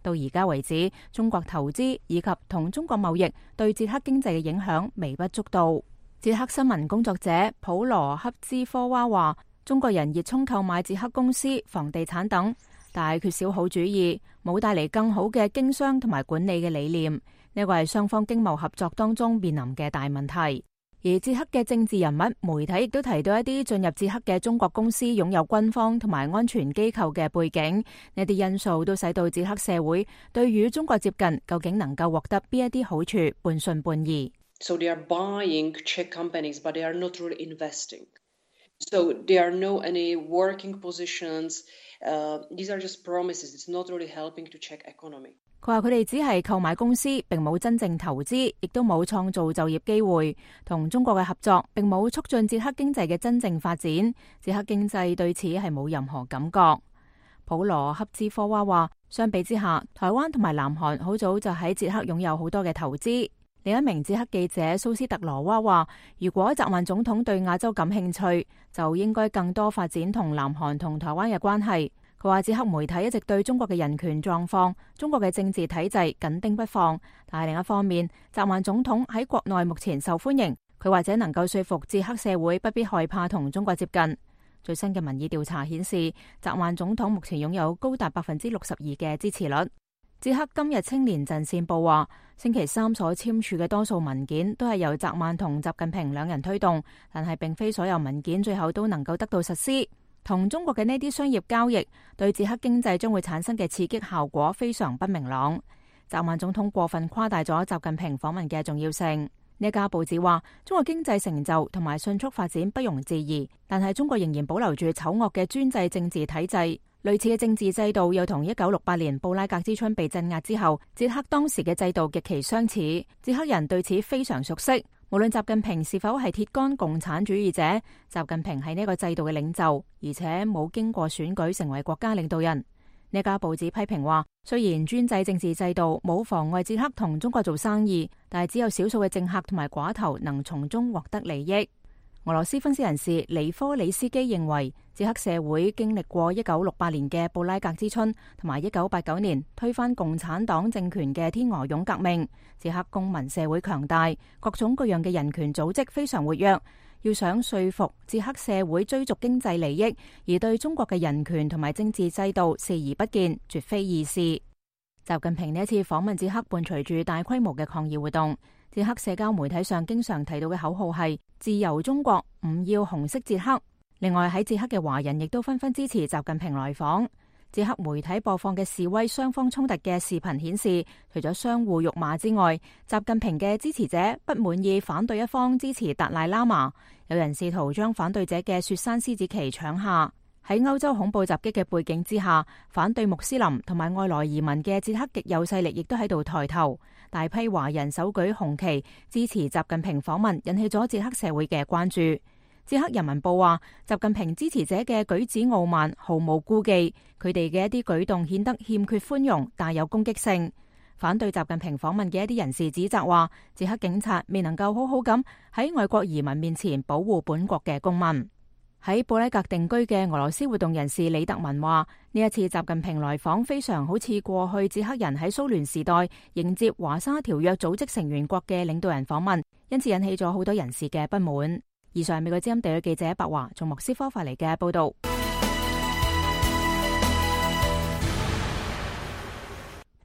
到而家為止，中國投資以及同中國貿易對捷克經濟嘅影響微不足道。捷克新聞工作者普羅克茲科娃話，中國人熱衷購買捷克公司、房地產等，但係缺少好主意，冇帶嚟更好嘅經商同埋管理嘅理念。呢個係雙方經貿合作當中面臨嘅大問題。而捷克嘅政治人物、媒體亦都提到一啲進入捷克嘅中國公司擁有軍方同埋安全機構嘅背景，呢啲因素都使到捷克社會對與中國接近究竟能夠獲得邊一啲好處半信半疑。So they are buying Czech companies, but they are not really investing. So there are no any working positions. These are just promises. It's not really helping to Czech economy. 佢話佢哋只係購買公司，並冇真正投資，亦都冇創造就業機會。同中國嘅合作並冇促進捷克經濟嘅真正發展。捷克經濟對此係冇任何感覺。普羅克茲科娃話，相比之下，台灣同埋南韓好早就喺捷克擁有好多嘅投資。另一名捷克記者蘇斯特羅娃話，如果澤曼總統對亞洲感興趣，就應該更多發展同南韓同台灣嘅關係。佢話捷克媒體一直對中國嘅人權狀況、中國嘅政治體制緊盯不放，但係另一方面，澤曼總統喺國內目前受歡迎，佢或者能夠說服捷克社會不必害怕同中國接近。最新嘅民意調查顯示，澤曼總統目前擁有高達62%嘅支持率。捷克今日青年陣線報話，星期三所簽署嘅多數文件都係由澤曼同習近平兩人推動，但係並非所有文件最後都能夠得到實施。同中國嘅呢啲商業交易對捷克經濟將會產生嘅刺激效果非常不明朗。澤曼總統過分誇大咗習近平訪問嘅重要性。呢家報紙話，中國經濟成就同埋迅速發展不容置疑，但係中國仍然保留住醜惡嘅專制政治體制。類似嘅政治制度又同1968年布拉格之春被鎮壓之後，捷克當時嘅制度極其相似。捷克人對此非常熟悉。無論習近平是否係鐵桿共產主義者，習近平係呢個制度嘅領袖，而且冇經過選舉成為國家領導人。呢家報紙批評話，雖然專制政治制度冇妨礙捷克同中國做生意，但係只有少數嘅政客同埋寡頭能從中獲得利益。俄羅斯分析人士尼科里斯基認為，捷克社會經歷過1968年嘅布拉格之春同埋1989年推翻共產黨政權嘅天鵝絨革命，捷克公民社會強大，各種各樣嘅人權組織非常活躍。要想說服捷克社會追逐經濟利益，而對中國嘅人權同埋政治制度視而不見，絕非易事。習近平呢一次訪問捷克，伴隨住大規模嘅抗議活動。捷克社交媒體上經常提到嘅口號係自由中國，唔要紅色捷克。另外喺捷克嘅華人亦都紛紛支持習近平來訪。捷克媒體播放嘅示威雙方衝突嘅視頻顯示，除咗相互辱罵之外，習近平嘅支持者不滿意反對一方支持達賴喇嘛，有人試圖將反對者嘅雪山獅子旗搶下。喺歐洲恐怖襲擊嘅背景之下，反對穆斯林同埋外來移民嘅捷克極右勢力亦都喺度抬頭，大批華人手舉紅旗支持習近平訪問，引起咗捷克社會嘅關注。捷克人民報話，習近平支持者嘅舉止傲慢，毫無顧忌，佢哋嘅一啲舉動顯得欠缺寬容，帶有攻擊性。反對習近平訪問嘅一啲人士指責話，捷克警察未能夠好好咁喺外國移民面前保護本國嘅公民。喺布拉格定居嘅俄羅斯活動人士李特文話，呢一次習近平來訪非常好似過去捷克人喺蘇聯時代迎接華沙條約組織成員國嘅領導人訪問，因此引起咗好多人士嘅不滿。以上係美國之音地區記者白華從莫斯科發嚟嘅報道。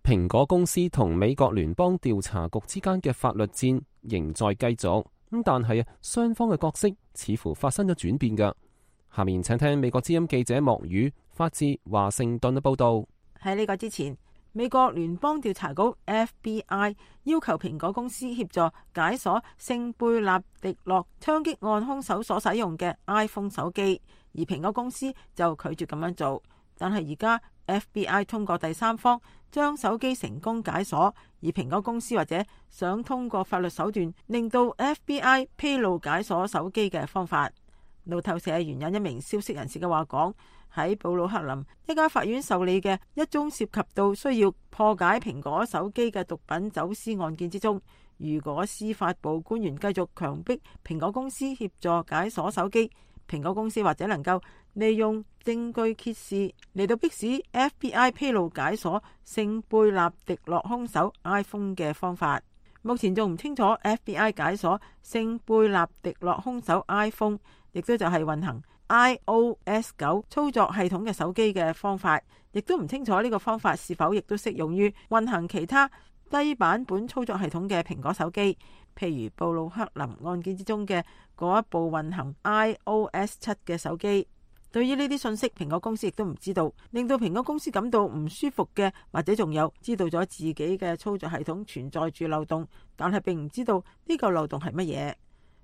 蘋果公司同美國聯邦調查局之間嘅法律戰仍在繼續，但係雙方嘅角色似乎發生咗轉變㗎。下面請聽美國之音記者莫宇發自華盛頓嘅報道。喺呢個之前，美國聯邦調查局 FBI 要求蘋果公司協助解鎖聖貝納迪諾槍擊案兇手所使用嘅 iPhone 手機，而蘋果公司就拒絕咁樣做。但係而家 FBI 通過第三方將手機成功解鎖，而蘋果公司或者想通過法律手段令到 FBI 披露解鎖手機嘅方法。路透社援引一名消息人士嘅話講，喺布魯克林一家法院受理嘅一宗涉及到需要破解蘋果手機嘅毒品走私案件之中，如果司法部官員繼續強迫蘋果公司協助解鎖手機，蘋果公司或者能夠利用證據揭示嚟到迫使 FBI 披露解鎖聖貝納迪諾兇手 iPhone 嘅方法。目前仲唔清楚 FBI 解鎖聖貝納迪諾兇手 iPhone， 亦都就係運行 iOS 9操作系統嘅手機嘅方法，亦都唔清楚呢個方法是否亦都適用於運行其他低版本操作系統嘅蘋果手機，譬如布魯克林案件之中嘅嗰一部運行 iOS 7嘅手機。對於呢啲信息，蘋果公司亦都唔知道，令到蘋果公司感到唔舒服嘅，或者仲有知道咗自己嘅操作系統存在住漏洞，但係並唔知道呢個漏洞係乜嘢。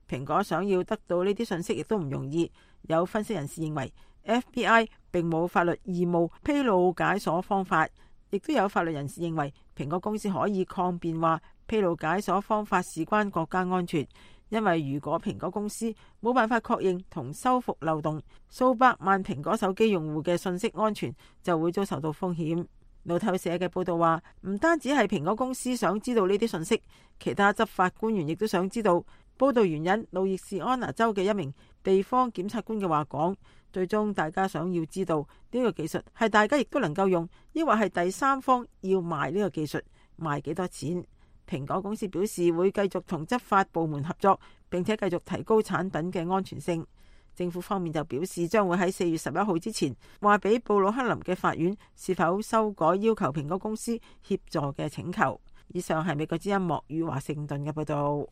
蘋果想要得到呢啲信息亦都唔容易。有分析人士認為 FBI 並冇法律義務披露解鎖方法，亦都有法律人士認為蘋果公司可以抗辯話披露解鎖方法事關國家安全，因為如果蘋果公司冇辦法確認同修復漏洞，數百萬蘋果手機用戶嘅信息安全就會遭受到風險。路透社嘅報道話，唔單止係蘋果公司想知道呢啲信息，其他執法官員亦都想知道。報道援引路易斯安那州嘅一名地方檢察官嘅話講，最終大家想要知道呢個技術係大家亦都能夠用，抑或係第三方要賣呢個技術，賣幾多錢。蘋果公司表示會繼續同執法部門合作，並且繼續提高產品嘅安全性。政府方面就表示將會喺4月11號之前話俾布魯克林嘅法院是否修改要求蘋果公司協助嘅請求。以上係美國之音莫語華盛頓嘅報道。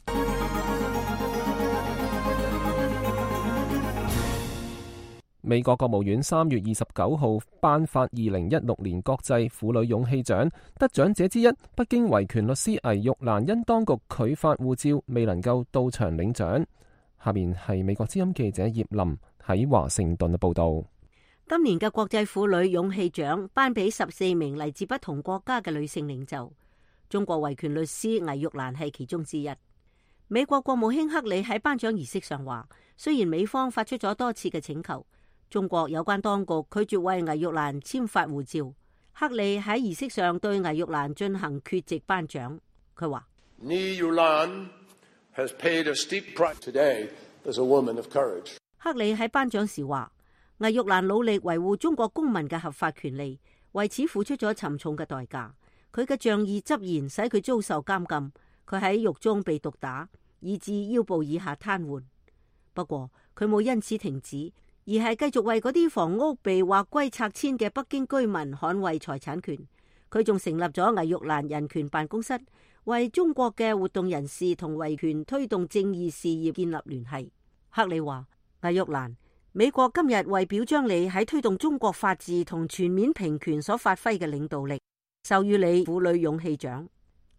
美國國務院3月29號頒發2016年國際婦女勇氣獎，得獎者之一北京維權律師魏玉蘭因當局拒發護照，未能夠到場領獎。下面係美國之音記者葉林喺華盛頓嘅報道。今年嘅國際婦女勇氣獎頒俾14名嚟自不同國家嘅女性領袖，中國維權律師魏玉蘭係其中之一。美國國務卿克里喺頒獎儀式上話，雖然美方發出咗多次嘅請求，中國有關當局拒絕為魏玉蘭簽發護照。克里喺儀式上對魏玉蘭進行缺席頒獎。佢話：克里喺頒獎時話，魏玉蘭努力維護中國公民嘅合法權利，為此付出咗沉重嘅代價。佢嘅仗義執言使佢遭受監禁，佢喺獄中被毒打，以致腰部以下癱瘓。不過佢冇因此停止，而係繼續為嗰啲房屋被劃歸拆遷嘅北京居民捍衛財產權。佢仲成立咗魏玉蘭人權辦公室，為中國嘅活動人士同維權推動正義事業建立聯繫。克里話：魏玉蘭，美國今日為表彰你喺推動中國法治同全面平權所發揮嘅領導力，授予你婦女勇氣獎。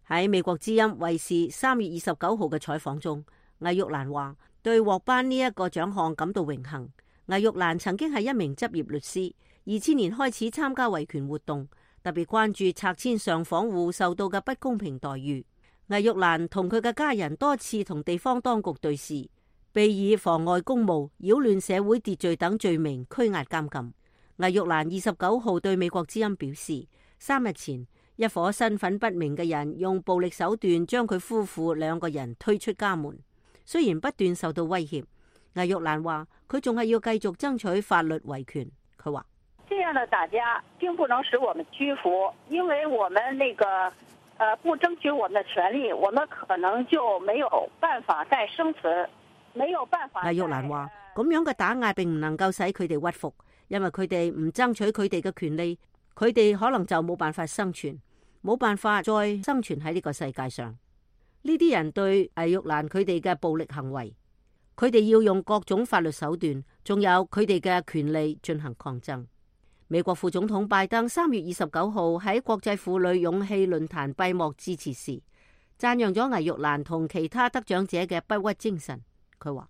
喺美國之音衛視3月29號嘅採訪中，魏玉蘭話對獲頒呢一個獎項感到榮幸。魏玉蘭曾經係一名執業律師，2000年開始參加維權活動，特別關注拆遷上訪戶受到嘅不公平待遇。魏玉蘭同佢嘅家人多次同地方當局對峙，被以妨礙公務、擾亂社會秩序等罪名拘押監禁。魏玉蘭29號對美國之音表示，3日前一伙身份不明嘅人用暴力手段將佢夫婦2個人推出家門。雖然不斷受到威脅，魏玉蘭話佢仲係要繼續爭取法律維權。佢話：這樣的打壓並不能使我們屈服，因為我們不爭取我們的權利，我們可能就沒有辦法再生存，沒有辦法。魏玉蘭話：咁樣嘅打壓並唔能夠使佢哋屈服，因為佢哋唔爭取佢哋嘅權利，佢哋可能就冇辦法生存，冇辦法再生存喺呢個世界上。呢啲人對魏玉蘭佢哋嘅暴力行為，佢哋要用各種法律手段，仲有佢哋嘅權利進行抗爭。美國副總統拜登3月29號喺國際婦女勇氣論壇閉幕致辭時，讚揚咗魏玉蘭同其他得獎者嘅不屈精神。佢話：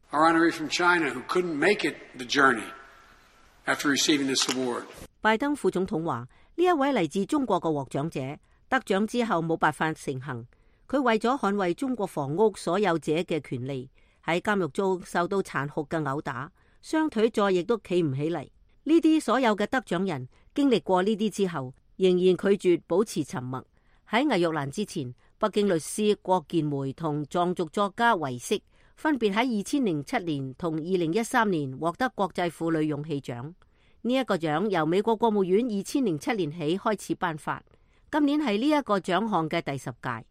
拜登副總統話，呢一位嚟自中國嘅獲獎者得獎之後冇辦法成行，佢為咗捍衛中國房屋所有者嘅權利，喺監獄中受到殘酷嘅毆打，雙腿再亦都企唔起嚟。呢啲所有嘅得獎人經歷過呢啲之後，仍然拒絕保持沉默。喺魏玉蘭之前，北京律師郭建梅同藏族作家維色分別喺2007年同2013年獲得國際婦女勇氣獎。呢一個獎由美國國務院2007年起開始頒發，今年係呢一個獎項嘅第10屆。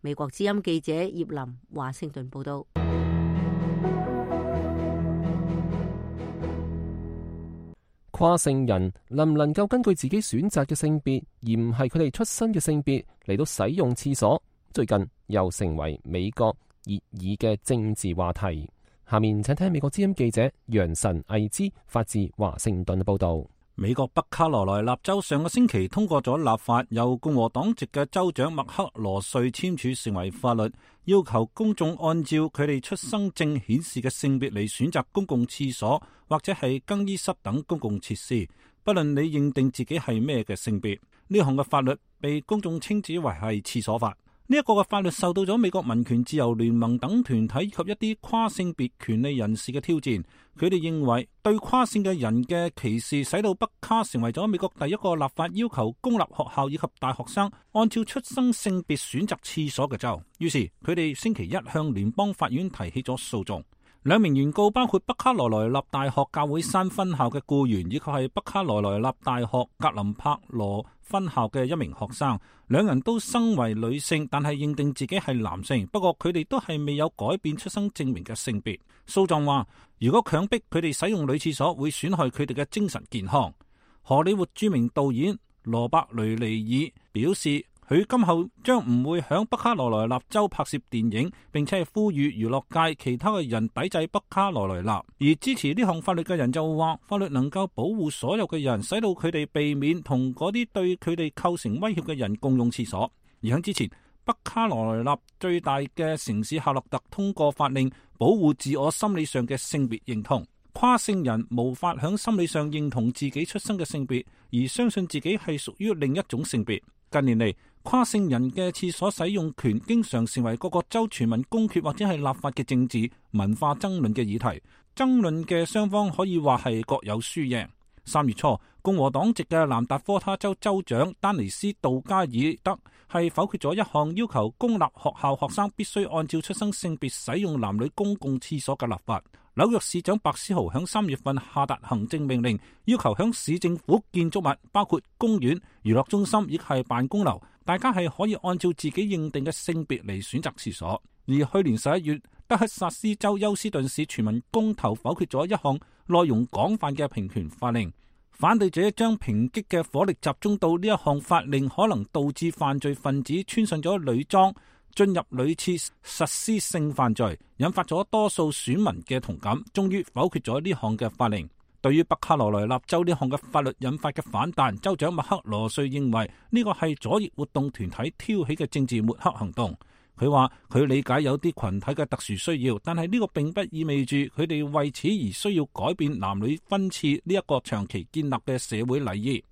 美國之音記者葉林華盛頓報道。跨性人能唔能夠根據自己選擇嘅性別，而唔係佢哋出生嘅性別嚟到使用廁所，最近又成為美國熱議嘅政治話題。下面請聽美國之音記者楊晨毅之發自華盛頓嘅報道。美國北卡羅來納州上個星期通過咗立法，由共和黨籍嘅州長麥克羅瑞簽署成為法律，要求公眾按照佢哋出生證顯示嘅性別嚟選擇公共廁所或者係更衣室等公共設施，不論你認定自己係咩嘅性別。呢項嘅法律被公眾稱之為係廁所法。呢一個嘅法律受到咗美國民權自由聯盟等團體及一啲跨性別權利人士嘅挑戰。佢哋認為對跨性嘅人嘅歧視，使到北卡成為咗美國第一個立法要求公立學校以及大學生按照出生性別選擇廁所嘅州。於是佢哋星期一向聯邦法院提起咗訴訟。兩名原告包括北卡羅來納大學教會山分校嘅僱員，以及係北卡羅來納大學格林柏羅分校嘅一名學生。兩人都生為女性，但係認定自己係男性。不過佢哋都係未有改變出生證明嘅性別。訴狀話，如果強迫佢哋使用女廁所，會損害佢哋嘅精神健康。荷里活著名導演羅伯雷尼爾表示，佢今後將唔會響北卡羅來納州拍攝電影，並且係呼籲娛樂界其他嘅人抵制北卡羅來納。而支持呢項法律嘅人就話，法律能夠保護所有嘅人，使到佢哋避免同嗰啲對佢哋構成威脅嘅人共用廁所。而喺之前，北卡羅來納最大嘅城市夏洛特通過法令，保護自我心理上嘅性別認同。跨性人無法響心理上認同自己出生嘅性別，而相信自己係屬於另一種性別。近年嚟，跨性人嘅廁所使用權經常成為各個州全民公決或者係立法嘅政治文化爭論嘅議題。爭論嘅雙方可以話係各有輸贏。3月初，共和黨籍嘅南達科他州州長丹尼斯杜加爾德係否決咗一項要求公立學校學生必須按照出生性別使用男女公共廁所嘅立法。紐約市長白思豪響3月份下達行政命令，要求響市政府建築物，包括公園、娛樂中心以及係辦公樓，大家係可以按照自己認定嘅性別嚟選擇廁所。而去年11月，德克薩斯州休斯頓市全民公投否決咗一項內容廣泛嘅平權法令，反對者將抨擊嘅火力集中到呢一項法令可能導致犯罪分子穿上咗女裝進入女廁實施性犯罪，引發咗多數選民嘅同感，終於否決咗呢項嘅法令。對於北卡羅來納州呢項嘅法律引發嘅反彈，州長麥克羅瑞認為呢個係左翼活動團體挑起嘅政治抹黑行動。佢話佢理解有啲群體嘅特殊需要，但係呢個並不意味住佢哋為此而需要改變男女分廁呢一個長期建立嘅社會禮儀。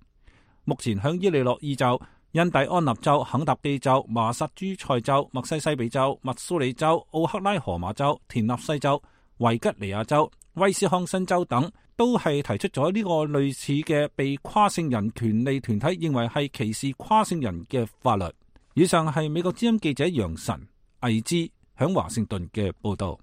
目前響伊利諾伊州、印第安納州、肯塔基州、麻薩諸塞州、密西西比州、密蘇里州、奧克拉荷馬州、田納西州、維吉尼亞州、威斯康辛州等都係提出咗呢個類似嘅被跨性人權利團體認為係歧視跨性人嘅法律。以上係美國之音記者楊晨魏之響華盛頓嘅報道。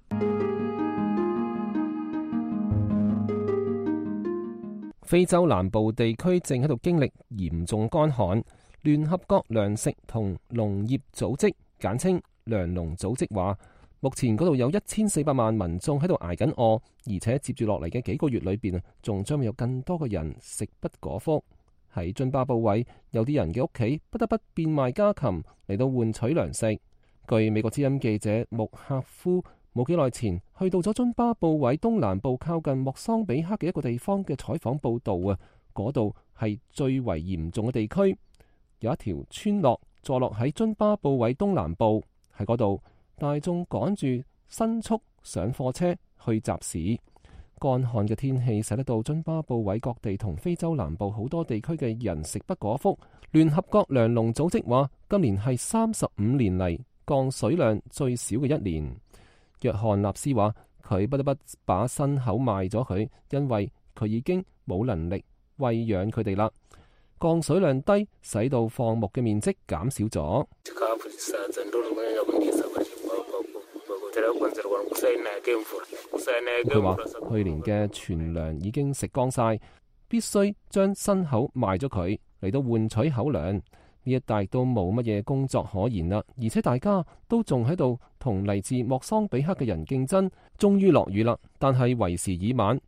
非洲南部地區正喺度經歷嚴重乾旱。聯合國糧食同農業組織簡稱糧農組織話，目前嗰度有1400萬民眾喺度挨緊餓，而且接住落嚟嘅幾個月裏邊仲將會有更多嘅人食不果腹。喺津巴布韋，有啲人嘅屋企不得不變賣家禽嚟到換取糧食。據美國之音記者穆克夫冇幾耐前去到咗津巴布韋東南部靠近莫桑比克嘅一個地方嘅採訪報道啊，嗰度係最為嚴重嘅地區。有一條村落坐落喺津巴布韋東南部，喺嗰度大眾趕住牲畜上貨車去集市。乾旱嘅天氣使得到津巴布韋各地同非洲南部好多地區嘅人食不果腹。聯合國糧農組織話，今年係35年嚟降水量最少嘅一年。約翰納斯話，佢不得不把牲口賣咗佢，因為佢已經冇能力餵養佢哋啦。降水量低，使到放牧嘅面積減少咗。佢話去年嘅存糧已經食光晒，必須將牲口賣咗佢嚟到換取口糧。呢一帶都冇乜嘢工作可言啦，而且大家都仲喺度同嚟自莫桑比克嘅人競爭。終於落雨啦，但係為時已晚，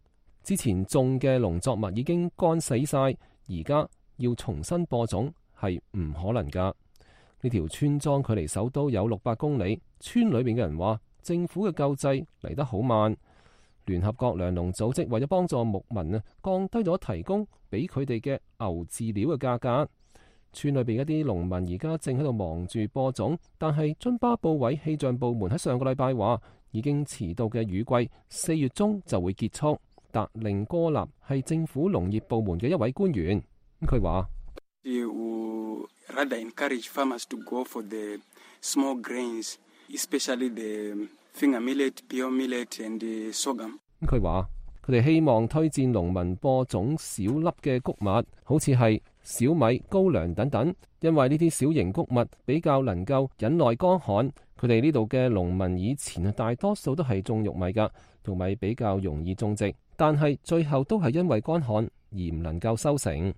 之前種嘅農作物已經乾死晒，而家要重新播種係唔可能噶。呢條村莊距離首都有600公里，村裏面嘅人話政府嘅救濟嚟得好慢。聯合國糧農組織為咗幫助牧民降低咗提供俾佢哋嘅牛飼料嘅價格。村裏邊一啲農民而家正喺度忙住播種，但係津巴布韋氣象部門喺上個禮拜話，已經遲到嘅雨季4月中就會結束。達令哥納係政府農業部門嘅一位官員，佢話 small grains, especially the finger millet, pure millet and the sorghum. 佢話佢哋希望推薦農民播種小粒嘅穀物，好似係小米、高粱等等，因為呢啲小型穀物比較能夠忍耐乾旱。佢哋呢度嘅農民以前大多數都係種玉米㗎，玉米比較容易種植，但係最後都係因為乾旱而唔能夠收成。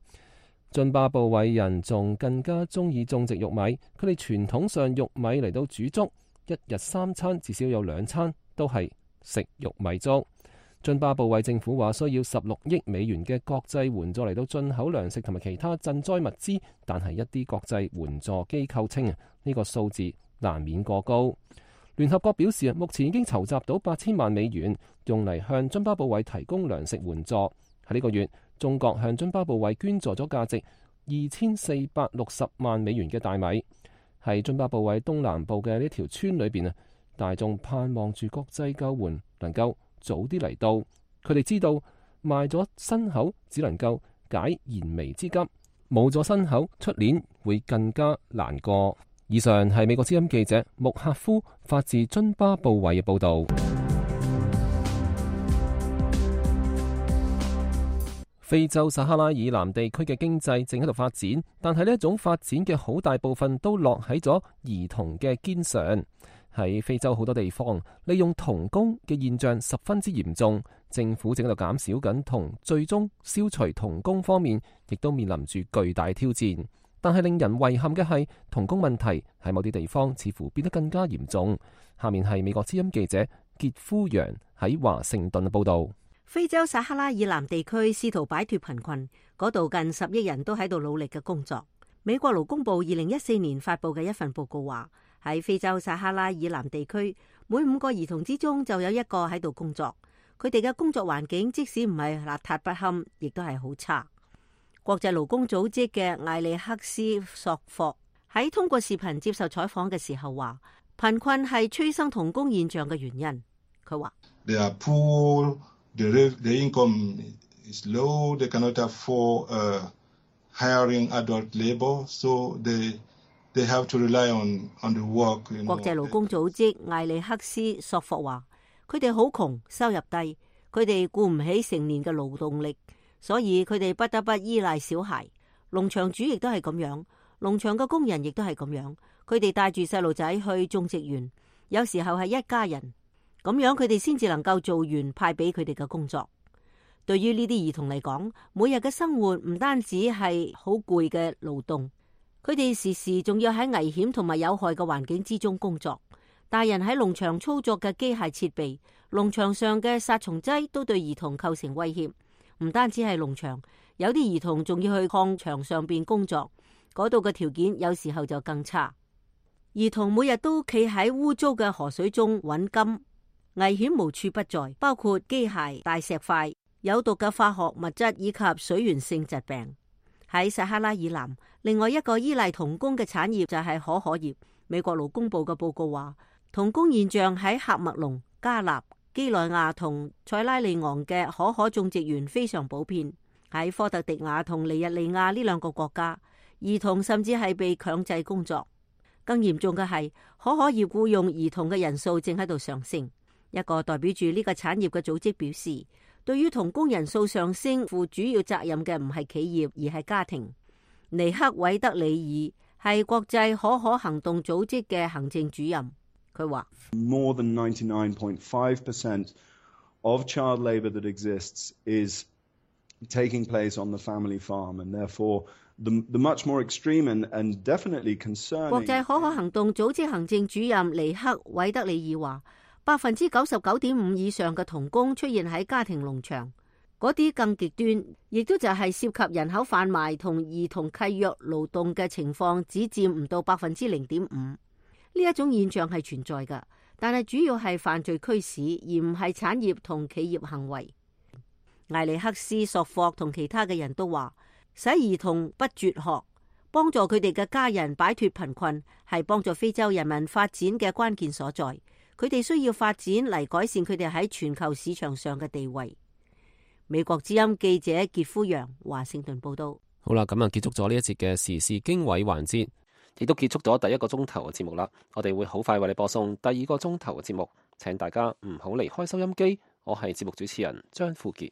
津巴布韋人仲更加中意種植玉米，佢哋傳統上玉米嚟到煮粥，一日3餐至少有2餐都係食玉米粥。津巴布韋政府話需要16億美元嘅國際援助嚟到進口糧食同埋其他賑災物資，但係一啲國際援助機構稱呢個數字難免過高。聯合國表示目前已經籌集到8000萬美元，用嚟向津巴布韋提供糧食援助。喺呢個月，中國向津巴布韋捐助咗價值2460萬美元嘅大米。喺津巴布韋東南部嘅呢條村裏邊大眾盼望住國際救援能夠早啲嚟到。佢哋知道賣咗牲口只能夠解燃眉之急，冇咗牲口出年會更加難過。以上係美國之音記者穆克夫發自津巴布韋嘅報導。非洲撒哈拉以南地區嘅經濟正喺度發展，但係呢一種發展嘅好大部分都落喺咗兒童嘅肩上。喺非洲好多地方，利用童工嘅現象十分之嚴重，政府正喺度減少緊童，最終消除童工方面，亦都面臨住巨大挑戰。但係令人遺憾嘅係，童工問題喺某啲地方似乎變得更加嚴重。下面係美國之音記者傑夫揚喺華盛頓嘅報導。非洲撒哈拉以南地區試圖擺脫貧困，嗰度近10億人都喺度努力嘅工作。美國勞工部2014年發佈嘅一份報告話，喺非洲撒哈拉以南地區，每5個兒童之中就有1個喺度工作。佢哋嘅工作環境即使唔係邋遢不堪，亦都係好差。國際勞工組織嘅艾利克斯索霍喺通過視頻接受採訪嘅時候話，貧困係催生童工現象嘅原因。佢話：They are poor, the income is low, they cannot afford hiring adult labor, so they have to rely on the work. 國際勞工組織艾利克斯索霍話，佢哋好窮，收入低，佢哋顧唔起成年嘅勞動力。所以佢哋不得不依賴小孩，農場主亦都係咁樣，農場嘅工人亦都係咁樣。佢哋帶住細路仔去種植園，有時候係一家人，咁樣佢哋先至能夠做完派俾佢哋嘅工作。對於呢啲兒童嚟講，每日嘅生活唔單止係好攰嘅勞動，佢哋時時仲要喺危險同埋有害嘅環境之中工作。大人喺農場操作嘅機械設備，農場上嘅殺蟲劑都對兒童構成威脅。唔單止係農場，有啲兒童仲要去礦場上邊工作，嗰度嘅條件有時候就更差。兒童每日都企喺污糟嘅河水中揾金，危險無處不在，包括機械、大石塊、有毒嘅化學物質以及水源性疾病。喺撒哈拉以南，另外一個依賴童工嘅產業就係可可葉。美國勞工部嘅報告話，童工現象喺喀麥隆、加納、基內亞同塞拉利昂嘅可可種植園非常普遍。喺科特迪瓦同尼日利亞呢2個國家，兒童甚至係被強制工作。更嚴重嘅係，可可葉僱用兒童嘅人數正喺度上升。一個代表住呢個產業嘅組織表示，對於童工人數上升負主要責任嘅唔係企業而係家庭。尼克韋德里爾係國際可可行動組織嘅行政主任。佢話 ：More than 99.5% of child labour that exists is taking place on the family farm, and therefore the much more extreme and definitely concerning。國際可可行動組織行政主任尼克韋德里爾話：99.5% 以上嘅童工出現喺家庭農場，嗰啲更極端，亦都就係涉及人口販賣同兒童契約勞動嘅情況，只佔唔到 0.5%。呢一種現象係存在㗎，但係主要係犯罪驅使，而唔係產業同企業行為。艾利克斯索霍同其他嘅人都話，使兒童不輟學，幫助佢哋嘅家人擺脫貧困，係幫助非洲人民發展嘅關鍵所在。佢哋需要發展嚟改善佢哋喺全球市場上嘅地位。美國之音記者傑夫揚華盛頓報道。好啦，咁啊結束咗呢一節嘅時事經緯環節。亦都結束咗第一個鐘頭嘅節目啦。我哋會好快為你播送第二個鐘頭嘅節目，請大家唔好離開收音機。我係節目主持人張富傑。